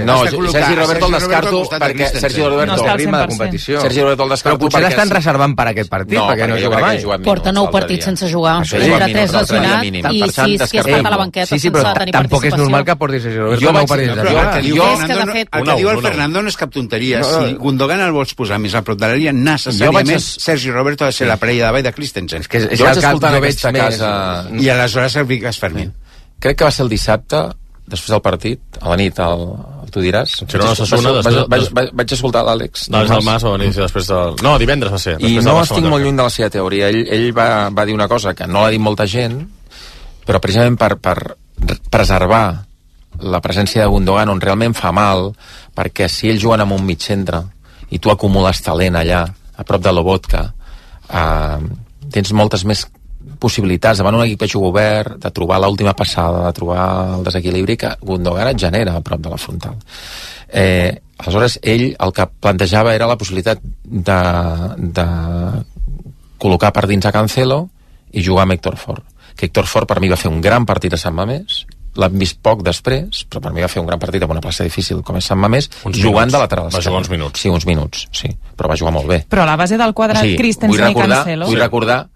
no, no Sergi Roberto el descarto perquè Sergi Roberto... No està al cent ritme per de cent. competició. Sergi Roberto el descarto però potser l'estan reservant per aquest partit, perquè no juga mai. Porta nou partits sense jugar. Entre tres lesionat i sis que ha estat a la banqueta sense tenir participació. Tampoc és normal que porti Sergi Roberto jo nou vaig, partits no, de jugar. El que diu, jo, Fernando, fet, el que diu el Fernando no és cap tonteria. No, no. Si Gundogan el vols posar més a prop de l'àrea, necessàriament vaig... Sergi Roberto ha de ser la parella davall de Christensen. És que és jo vaig escoltar en aquesta casa... I aleshores el Vigas Fermín. Crec que va ser el dissabte, després del partit, a la nit, el, el tu diràs. Si no, Sassuna, vaig, vaig, vaig, vaig, vaig escoltar l'Àlex. L'Àlex del Mas va venir després del... No, divendres va ser. I no estic molt lluny de la seva teoria. Ell, ell va, va dir una cosa que no l'ha dit molta gent, però precisament per, per preservar la presència de Gundogan on realment fa mal, perquè si ells juguen amb un mig centre i tu acumules talent allà, a prop de Lobotka, eh, tens moltes més possibilitats davant un equip que juga obert, de trobar l'última passada, de trobar el desequilibri que Gundogan et genera a prop de la frontal. Eh, aleshores, ell el que plantejava era la possibilitat de, de col·locar per dins a Cancelo i jugar amb Héctor Fort. Que Héctor Fort per mi va fer un gran partit a Sant Mamés, l'hem vist poc després, però per mi va fer un gran partit amb una plaça difícil com és Sant Mamés, uns jugant minuts. De lateral esquerre. Va jugar uns minuts. Sí, uns minuts, sí, però va jugar molt bé. Però a la base del quadrat, sí, Christensen i Cancelo... Vull recordar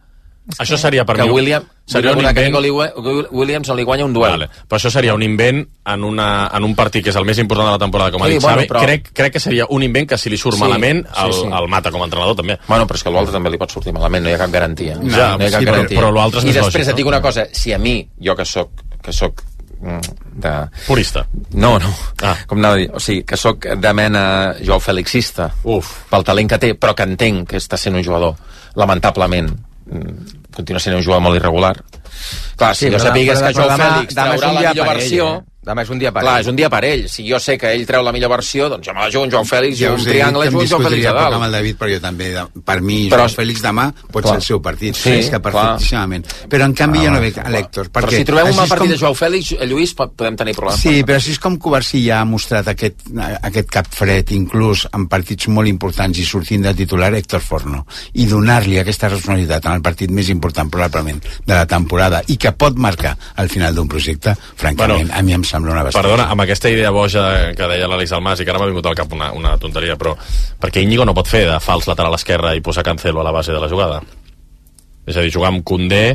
això seria per que mi... William, seria un invent... que Williams no li guanya un duel. Vale. Però això seria un invent en, una, en un partit que és el més important de la temporada, com ha sí, dit bueno, Xavi. però... Crec, crec que seria un invent que si li surt sí, malament el, sí, sí. el mata com a entrenador també. Bueno, però és que l'altre també li pot sortir malament, no hi ha cap garantia. No, ja, no hi ha cap sí, garantia. Però, però l'altre és I més després lògic, et dic no? una cosa, si a mi, jo que soc que soc de... Purista. No, no. Ah. Com anava a dir? O sigui, que sóc de mena Joao Felixista. Uf. Pel talent que té, però que entenc que està sent un jugador, lamentablement, continua sent un jugador molt irregular. Clar, si sí, jo sapigués que Joao Fèlix traurà la millor versió... Eh? Demà és un dia per Clar, ell. és un dia per ell. Si jo sé que ell treu la millor versió, doncs jo me la jugo un Joao Fèlix i ja un triangle jugo un Joao Fèlix a dalt. Amb el David, però jo també, per mi, però, Joao Fèlix demà pot clar. ser el seu partit, sí, és que perfectíssimament. Clar. Però en canvi ah, jo no veig a l'Héctor. Però si trobem un mal partit com... de Joao Fèlix, Lluís, podem tenir problemes. Sí, però així és com Covarsí ja ha mostrat aquest, aquest cap fred, inclús en partits molt importants i sortint de titular, Héctor Forno. I donar-li aquesta responsabilitat en el partit més important, probablement, de la temporada, i que pot marcar al final d'un projecte, francament, bueno, a mi em sembla una bastanta. Perdona, amb aquesta idea boja que deia l'Àlex Almas i que ara m'ha vingut al cap una, una tonteria, però perquè Íñigo no pot fer de fals lateral esquerre i posar Cancelo a la base de la jugada? És a dir, jugar amb Koundé,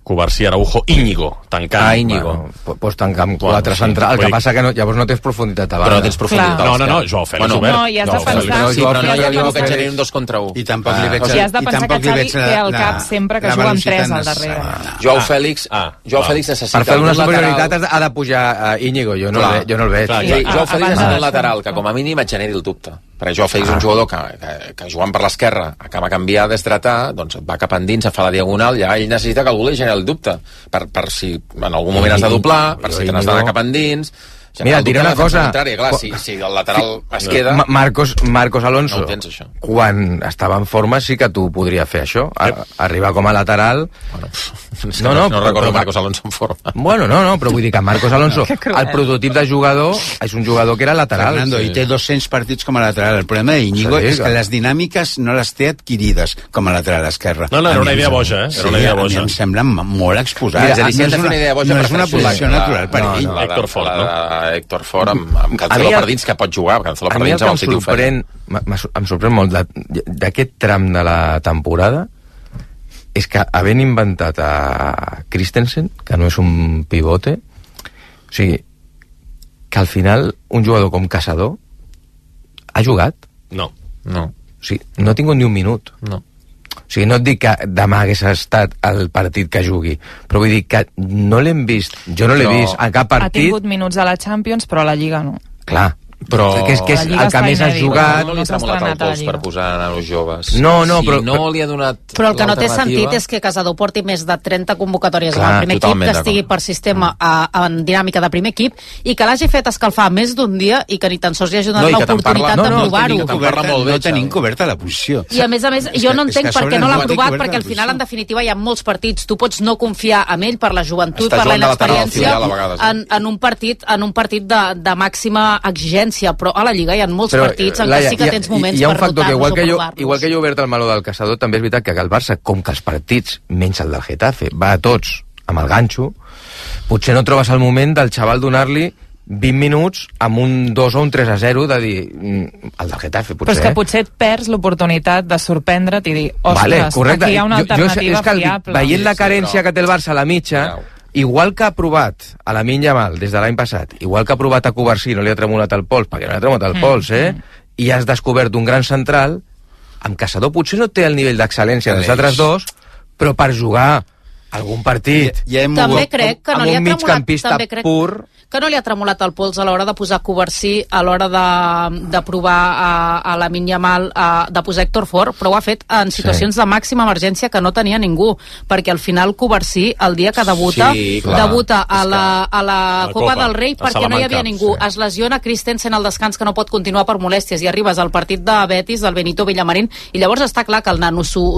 Covarsí, Araujo, Íñigo, tancant. Ah, Íñigo. Bueno, pots tancar amb quatre sí, centrals. El que passa que no, llavors no tens profunditat a banda. Però no tens profunditat. No, no, no, Joao Fèlix bueno, obert. No, i has de pensar... Sí, però no hi ha ningú que generi un dos contra un. I tampoc li veig... I has de pensar que Xavi té al cap sempre que juga amb tres al darrere. Joao Fèlix Joao Fèlix necessita... Per fer una superioritat ha de pujar a Íñigo, jo no el veig. Joao Fèlix necessita un lateral que com a mínim et generi el dubte. Perquè Joao Fèlix és un jugador que, que, que jugant per l'esquerra acaba a canviar, desdratar, doncs et va cap endins, et fa la diagonal, ja ell necessita que algú li generi el dubte, per, per si en algun moment has de doblar, per si te n'has d'anar cap endins, Mira, diré una cosa. Clar, si, si el lateral es queda... Ma Marcos, Marcos Alonso, no ho tens, això. Quan estava en forma sí que tu podria fer això, a, arribar com a lateral... Bueno, no, no, no recordo però, Marcos Alonso en forma. Bueno, no, no, però vull dir que Marcos Alonso, el prototip de jugador, és un jugador que era lateral. Fernando, sí. I té dos-cents partits com a lateral. El problema d'Iñigo sí, és que les dinàmiques no les té adquirides com a lateral esquerre. No, no, era una idea boja, eh? Era una idea boja. A mi em sembla molt exposat. Mira, no és una, idea boja, no és una posició natural per ell. Héctor Fort, no? Héctor Fort amb, amb Cancelo per dins, que pot jugar. Cancelo per dins amb el City ho feia. Em sorprèn molt d'aquest tram de la temporada és que havent inventat a Christensen, que no és un pivote, o sigui, que al final un jugador com Caçador ha jugat? No. No. O sigui, no ha tingut ni un minut. No. O sigui, no et dic que demà hagués estat el partit que jugui, però vull dir que no l'hem vist, jo no l'he Però vist a cap partit. Ha tingut minuts a la Champions, però a la Lliga no. Clar, però que és, que és el que més has jugat. No li ha tremolat el pols per posar nanos joves. No, no, si però... no li ha donat Però el que no té sentit és que Caçador porti més de trenta convocatòries Clar, en el primer equip, que estigui per sistema a, en dinàmica de primer equip, i que l'hagi fet escalfar més d'un dia i que ni tan sols li hagi donat no, l'oportunitat no, de no, provar-ho. No, no tenim coberta la posició. I a més a més, jo no entenc per què no l'ha provat, perquè al final, en definitiva, hi ha molts partits. Tu pots no confiar en ell per la joventut, per la inexperiència, en, en un partit, en un partit de, de màxima exigència, però a la Lliga hi ha molts però, partits en què sí que tens moments hi ha un per factor que igual que, jo, igual que jo he obert el meló del Caçador, també és veritat que el Barça, com que els partits, menys el del Getafe, va a tots amb el ganxo, potser no trobes el moment del xaval donar-li vint minuts amb un dos o un tres a zero de dir, el del Getafe potser, però és que potser et perds l'oportunitat de sorprendre't i dir, ostres, vale, correcte. aquí hi ha una alternativa jo, jo, és que fiable. Veient la carència que té el Barça a la mitja, igual que ha provat a la Lamine Yamal des de l'any passat, igual que ha provat a Covarsí, no li ha tremolat el pols, perquè no li ha tremolat el mm, pols, eh? Mm. I has descobert un gran central, amb Caçador potser no té el nivell d'excel·lència dels altres dos, però per jugar algun partit ja, ja també crec que no amb li ha un migcampista també crec pur, que no li ha tremolat el pols a l'hora de posar Covarsí, a l'hora de, de provar a, a la Lamine Yamal, a, de posar Héctor Fort, però ho ha fet en situacions sí. de màxima emergència que no tenia ningú, perquè al final Covarsí, el dia que debuta, sí, debuta a la, a la, a la Copa, Copa del Rei perquè no hi havia ningú. Sí. Es lesiona Christensen al descans, que no pot continuar per molèsties, i arribes al partit de Betis, del Benito Villamarín, i llavors està clar que el nano s'ho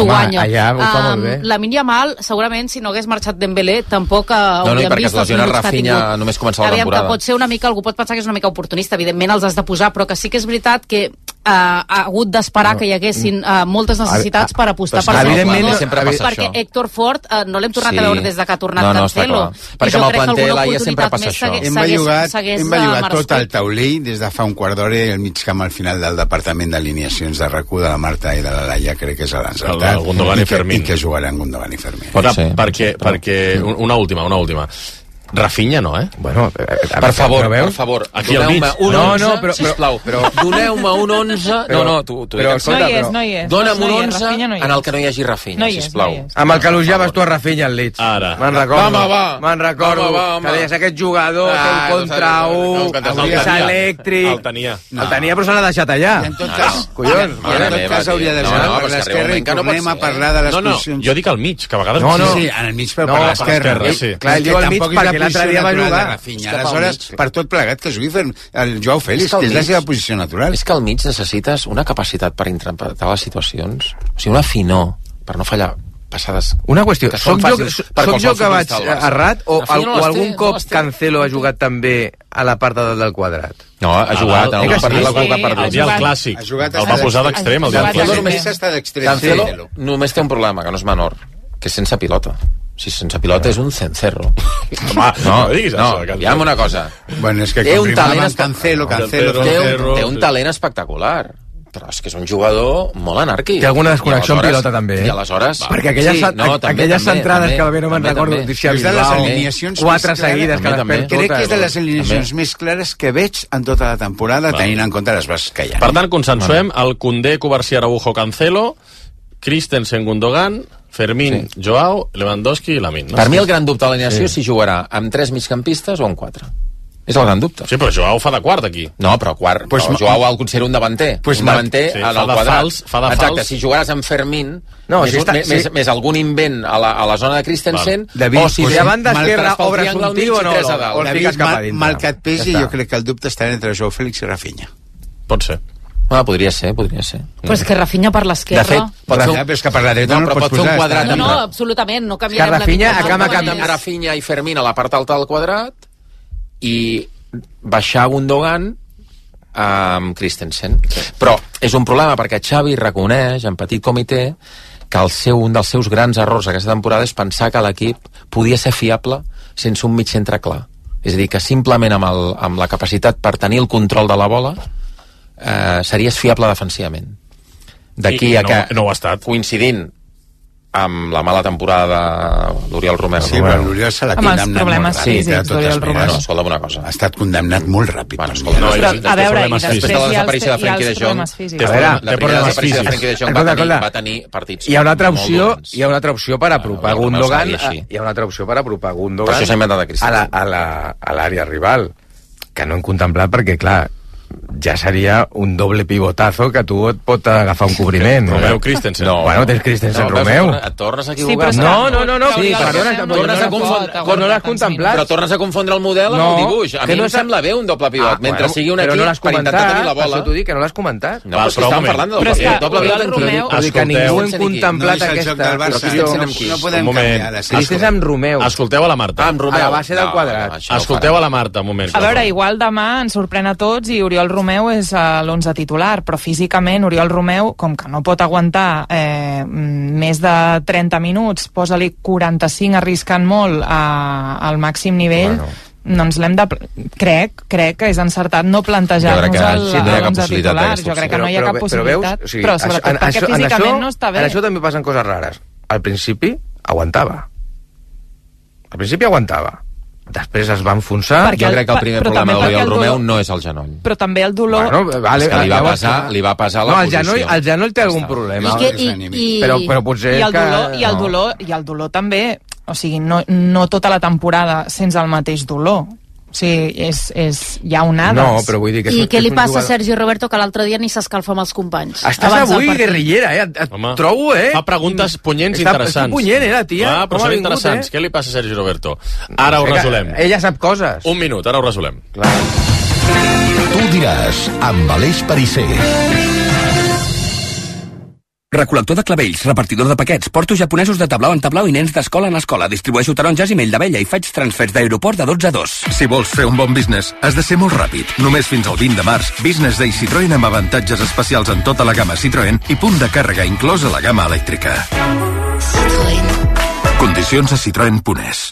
guanya. Allà ho fa molt bé. Um, Lamine Yamal, segurament, si no hagués marxat Dembélé, tampoc no, hauríem no, vist els minuts que ha tingut. Només començar la Aviam, temporada. que pot ser una mica, algú pot pensar que és una mica oportunista, evidentment els has de posar, però que sí que és veritat que uh, ha hagut d'esperar no. que hi haguessin uh, moltes necessitats per apostar per evidentment, sempre passa perquè això. Héctor Fort uh, no l'hem tornat sí. a veure des de que ha tornat no, no, Cancelo. Perquè amb el planter l'Aia sempre passa això. Hem bellugat, hem bellugat tot el taulell des de fa un quart d'hora i el mig camp al final del departament d'alineacions de RAC u de la Marta i de la Laia, crec que és l'encertat. El Gundogan i, i Fermín. I que jugaran Gundogan i Fermín. Però, sí, perquè, perquè una última, una última. Rafinha no, eh? Bueno, per favor, per favor, doneu-me un onze, no, no, però, sisplau, però, doneu-me un onze, no, no, tu, tu però, escolta, no hi és, no hi és. Dona'm un no onze no en el que no hi hagi Rafinha, no hi és, sisplau. No amb el que elogiaves tu a Rafinha al Leeds. Ara. Me'n recordo. Home, va. Me'n recordo. Home, va, que deies aquest jugador ah, que un contra un, és elèctric. El tenia. El tenia, però se l'ha deixat allà. I en tot cas, collons. I en tot cas hauria de jugar per l'esquerra i tornem a parlar de les posicions. No, no, jo dic al mig, que a vegades... No, no. Sí, en el mig, però per l'esquerra. Clar, ell diu al mig perquè l'altre dia va jugar. Aleshores, per tot plegat que jugui el Joao Félix, que és la seva posició natural. És que al mig necessites una capacitat per interpretar les situacions, o sigui, una finor per no fallar passades. Una qüestió, soc jo, soc jo que vaig errat o, no o algun té, cop no Cancelo ha jugat també a la part de dalt del quadrat? No, ha jugat, ah, el, partit, sí, sí, el dia al clàssic, el va posar d'extrem el dia al clàssic. Només està d'extrem. Cancelo només té un problema, que no és menor, que és sense pilota. Si sense pilota és un cencerro. Home, no, no diguis no, això. Digue'm una cosa. Bueno, és que té un talent Cancelo, Cancelo, té, un, té un talent espectacular. Però és que és un jugador molt anàrquic. Té alguna desconnexió en pilota, també. I aleshores... Va, perquè aquelles, sí, no, també, aquelles també, centrades també, que bé no me'n recordo, és de les alineacions quatre seguides que les perd. Crec que és de les alineacions més clares que veig en tota la temporada, tenint en compte les bases que hi ha. Per tant, consensuem el Koundé, Covarsí, Araujo, Cancelo, Christensen, Gundogan, Fermín, sí. Joao, Lewandowski i Lamine. No? Per mi el gran dubte de l'alineació sí. és si jugarà amb tres migcampistes o amb quatre. És el gran dubte. Sí, però Joao fa de quart aquí. No, però quart, Pues però ma- Joao el considera un davanter. Pues un ma- davanter sí, en fa el de quadrat. fals, fa de Exacte, fals. si jugares amb Fermín, No, més, si està- més, si- més, més algun invent a la, a la zona de Christensen, David, o si pues, ve a banda mal- esquerra, pel obres triangle un al mig tio o i no, tres a no, dalt. o el David, fiques cap a mal, dintre. mal que et pesi, Ja jo està. crec que el dubte està entre Joao Félix i Rafinha. Pot ser. Ah, podria ser, podria ser. Però és que Rafinha per l'esquerra... De fet, pot ser, Ja, però és que per la dreta no, no, però el pot pots fer un posar. quadrat No, està- no, absolutament, no canviarem És que Rafinha la mitja acaba part, canviant- amb només. Rafinha i Fermín a la part alta del quadrat i baixar Gundogan amb Christensen. Però és un problema perquè Xavi reconeix en petit comitè que el seu, un dels seus grans errors aquesta temporada és pensar que l'equip podia ser fiable sense un mig centre clar. És a dir, que simplement amb, el, amb la capacitat per tenir el control de la bola eh, series fiable defensivament. D'aquí I a no- que, no ho ha estat. coincidint amb la mala temporada de l'Oriol Romeu. Sí, però l'Oriol se l'ha Amb els condemnat problemes molt ràpid, físics de totes d'Oriol Romeu. maneres. Bueno, escolta'm una cosa. Ha estat condemnat molt ràpid. Bueno, per mi. escolta, no, Però, i a veure, i problemes després físics. hi La ha els, desaparició de hi ha Frenkie els de Jong. problemes físics. Té A veure, problemes- té la primera problemes desaparició de físics. Frenkie de Jong va Escolta, tenir, escolta. va tenir partits Hi ha una altra molt opció, dolents. hi ha una altra opció per apropar Bueno, el Gundogan, Romeu seria així. hi ha una altra opció per apropar Per Gundogan això s'ha inventat a Cristiano. a la- a la- a l'àrea rival, que no hem contemplat perquè, clar, ja seria un doble pivotazo que tu et pot agafar un cobriment. Romeu Christensen. No. Bueno, tens Christensen, No, Romeu. Et tornes a Sí, equivocar. però és que No, no, no, no, Sí, sí, però perdona, no, no, tornes no, a confondre- no, no l'has contemplat. Però tornes a confondre el model amb No, el dibuix. A que mi no em és- sembla bé un doble pivot, Ah, mentre bueno, sigui un però equip no l'has per intentar comentat, tenir la per bola. això t'ho dic, que no l'has comentat. No, Va, però si però un estan moment. parlant del Però és que doble pivot Oriol entre Romeu- Vull dir que Escolteu. ningú hem No contemplat és el joc aquesta del Barça. opció. Christensen amb qui? No podem Un moment. canviar la Christensen amb Romeu. Escolteu a la Marta. Ah, amb Romeu. A la base del No, quadrat. no, això no ho Escolteu farà. a la Marta, un moment. A veure, igual demà ens sorprèn a tots i Oriol Romeu és a l'onze titular, però físicament Oriol Romeu, com que no pot aguantar eh, més de trenta minuts, posa-li quaranta-cinc arriscant molt a, al màxim nivell, Bueno. doncs l'hem de... Crec, crec que és encertat no Jo plantejar-nos crec que el, sí, no hi ha cap l'onze possibilitat titular. d'aquesta Jo crec que opció. no hi ha cap Però- però possibilitat, veus, o sigui, però això- sobretot en perquè això- en físicament això- no està bé. En això també passen coses rares. Al principi aguantava. Al principi aguantava. Després es va enfonsar. Perquè Jo el- crec que el primer però problema també d'Oriol perquè el Romeu dolor- no és el genoll. Però també el dolor... Bueno, vale, És que li va llavors- pesar- li va pesar la no, el posició. genoll, el genoll té algun problema. I, que, i, i, Però, però potser I el que... dolor, i el no. dolor, i el dolor també, o sigui, no, no tota la temporada sense el mateix dolor. O sigui, és, és, hi ha onades. No, però vull dir que... és I un- què és li un passa a jugador- Sergi Roberto, que l'altre dia ni s'escalfa amb els companys? Estàs Abans del avui partit. guerrillera, eh? Et, et Home, trobo, eh? Fa preguntes punyents Està- interessants. Està punyent, eh, la tia? Ah, però Com ha són vingut, interessants. eh? Què li passa a Sergi Roberto? Ara ho Ella- resolem. Ella sap coses. Un minut, ara ho resolem. Clar. Tu diràs, amb Aleix Perisser. Recol·lector de clavells, repartidor de paquets, porto japonesos de tablau en tablau i nens d'escola en escola. Distribueixo taronges i mell d'abella i faig transfers d'aeroport de dotze a dos. Si vols fer un bon business, has de ser molt ràpid. Només fins al vint de març, Business Day Citroën amb avantatges especials en tota la gamma Citroën i punt de càrrega inclòs a la gamma elèctrica. Citroën. Condicions a citroen punt es.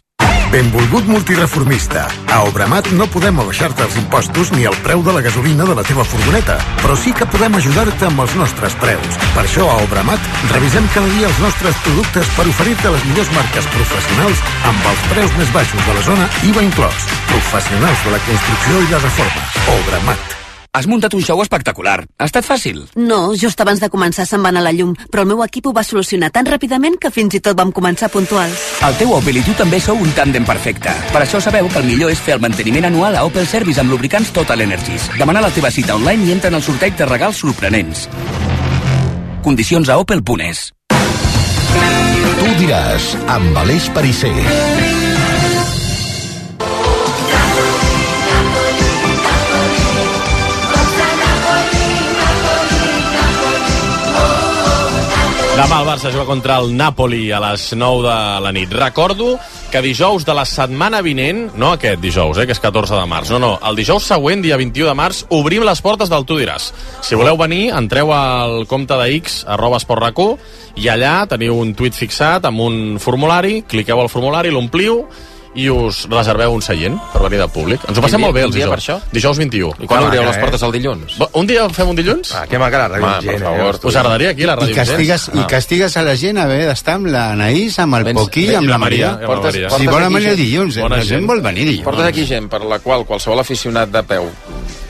Benvolgut multireformista. A Obramat no podem abaixar-te els impostos ni el preu de la gasolina de la teva furgoneta, però sí que podem ajudar-te amb els nostres preus. Per això a Obramat revisem cada dia els nostres productes per oferir-te les millors marques professionals amb els preus més baixos de la zona, I V A inclòs. Professionals de la construcció i la reforma. Obramat. Has muntat un show espectacular. Ha estat fàcil? No, just abans de començar se'n va anar la llum, però el meu equip ho va solucionar tan ràpidament que fins i tot vam començar puntuals. El teu Opel i tu també sou un tàndem perfecte. Per això sabeu que el millor és fer el manteniment anual a Opel Service amb lubricants Total Energies. Demana la teva cita online i entra en el sorteig de regals sorprenents. Condicions a opel punt es. Tu diràs, amb Aleix Perisser. Demà el Barça juga contra el Napoli a les nou de la nit. Recordo que dijous de la setmana vinent, no aquest dijous, eh, que és catorze de març, no, no, el dijous següent, dia vint-i-u de març, obrim les portes del Tu diràs. Si voleu venir, entreu al compte de X, arroba esportrac u, i allà teniu un tuit fixat amb un formulari, cliqueu al formulari, l'ompliu, i us reserveu un seient per venir de públic. Ens ho passem Quin dia- molt bé quin els dia dijous. per això? Dijous vint-i-u. I quan Ah, obriu que les eh? portes el dilluns? Un dia fem un dilluns? Ah, que manca la ràdio Home, gent, per favor, eh? Us agradaria aquí la I ràdio castigues, i castigues a la gent haver d'estar amb l'Anaïs, amb el Vens- Poquí i vens- amb la la Maria, Maria. amb la Maria. Si Portes volen aquí venir gent. dilluns, eh? Bona la gent gent. vol venir dilluns. Portes aquí gent per la qual qualsevol aficionat de peu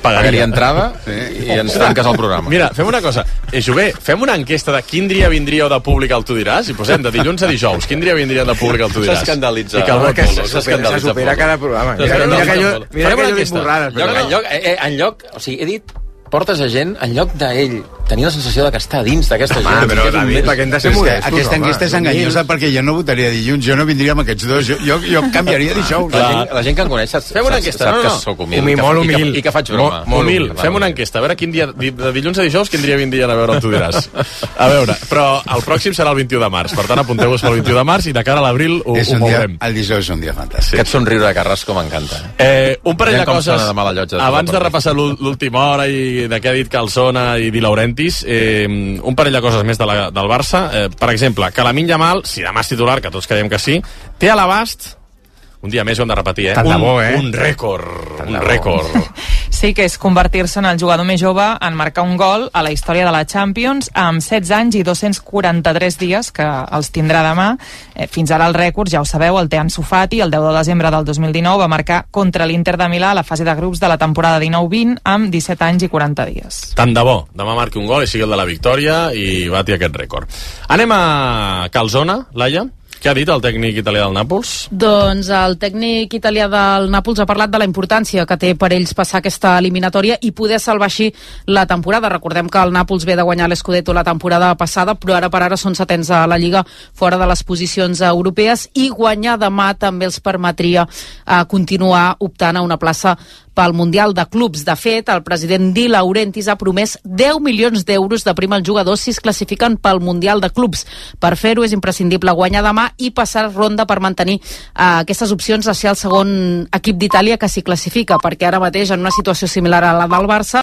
Pagaria entrada i ens tanques el programa. Mira, fem una cosa. Eh, Jové, fem una enquesta de quin dia vindríeu de públic al Tu diràs i posem de dilluns a dijous. Quin dia vindria de públic al Tu diràs? S'escandalitza. I que el vot que Polo. se supera cada programa. Mira, mira que jo, mira que jo dic borrades. Però no, en lloc, eh, en lloc, o sigui, he dit portes a gent, en lloc d'ell tenir la sensació de que està dins d'aquesta gent. Home, però David, perquè hem de ser modestos, aquesta enquesta és enganyosa perquè jo no votaria dilluns, jo no vindria amb aquests dos, jo, jo, jo canviaria dijous. La gent, la gent que em coneix sap, fem una enquesta, sap no, no. que sóc humil, humil, que, molt i, humil. que, i que faig broma. Molt, molt humil, fem una enquesta, a veure quin dia, de dilluns a dijous, quin dia vindrien a veure el Tu diràs. A veure, però el pròxim serà el vint-i-u de març, per tant apunteu-vos pel vint-i-u de març i de cara a l'abril ho, ho veurem. El dijous és un dia fantàstic. Aquest somriure de Carrasco m'encanta. Eh, un parell de coses, de abans de repassar l'última hora i de què ha dit Calzona i Di Laurentiis, eh, un parell de coses més de la, del Barça. Eh, per exemple, que Lamine Yamal, si demà és titular, que tots creiem que sí, té a l'abast, un dia més ho hem de repetir, eh? Tant de bo, eh? Un rècord, un rècord. Sí, que és convertir-se en el jugador més jove en marcar un gol a la història de la Champions amb setze anys i dos-cents quaranta-tres dies, que els tindrà demà. Eh, fins ara el rècord, ja ho sabeu, el té Ansu Fati, el deu de desembre del dos mil dinou va marcar contra l'Inter de Milà a la fase de grups de la temporada dinou vint amb disset anys i quaranta dies. Tant de bo, demà marqui un gol i sigui el de la victòria i bati aquest rècord. Anem a Calzona, Laia. Què ha dit el tècnic italià del Nàpols? Doncs el tècnic italià del Nàpols ha parlat de la importància que té per ells passar aquesta eliminatòria i poder salvar així la temporada. Recordem que el Nàpols ve de guanyar l'Scudetto la temporada passada, però ara per ara són setens a la Lliga, fora de les posicions europees, i guanyar demà també els permetria eh, continuar optant a una plaça pel Mundial de Clubs. De fet, el president Di Laurentiis ha promès deu milions d'euros de prima als jugadors si es classifiquen pel Mundial de Clubs. Per fer-ho és imprescindible guanyar demà i passar ronda per mantenir uh, aquestes opcions de ser el segon equip d'Itàlia que s'hi classifica, perquè ara mateix en una situació similar a la del Barça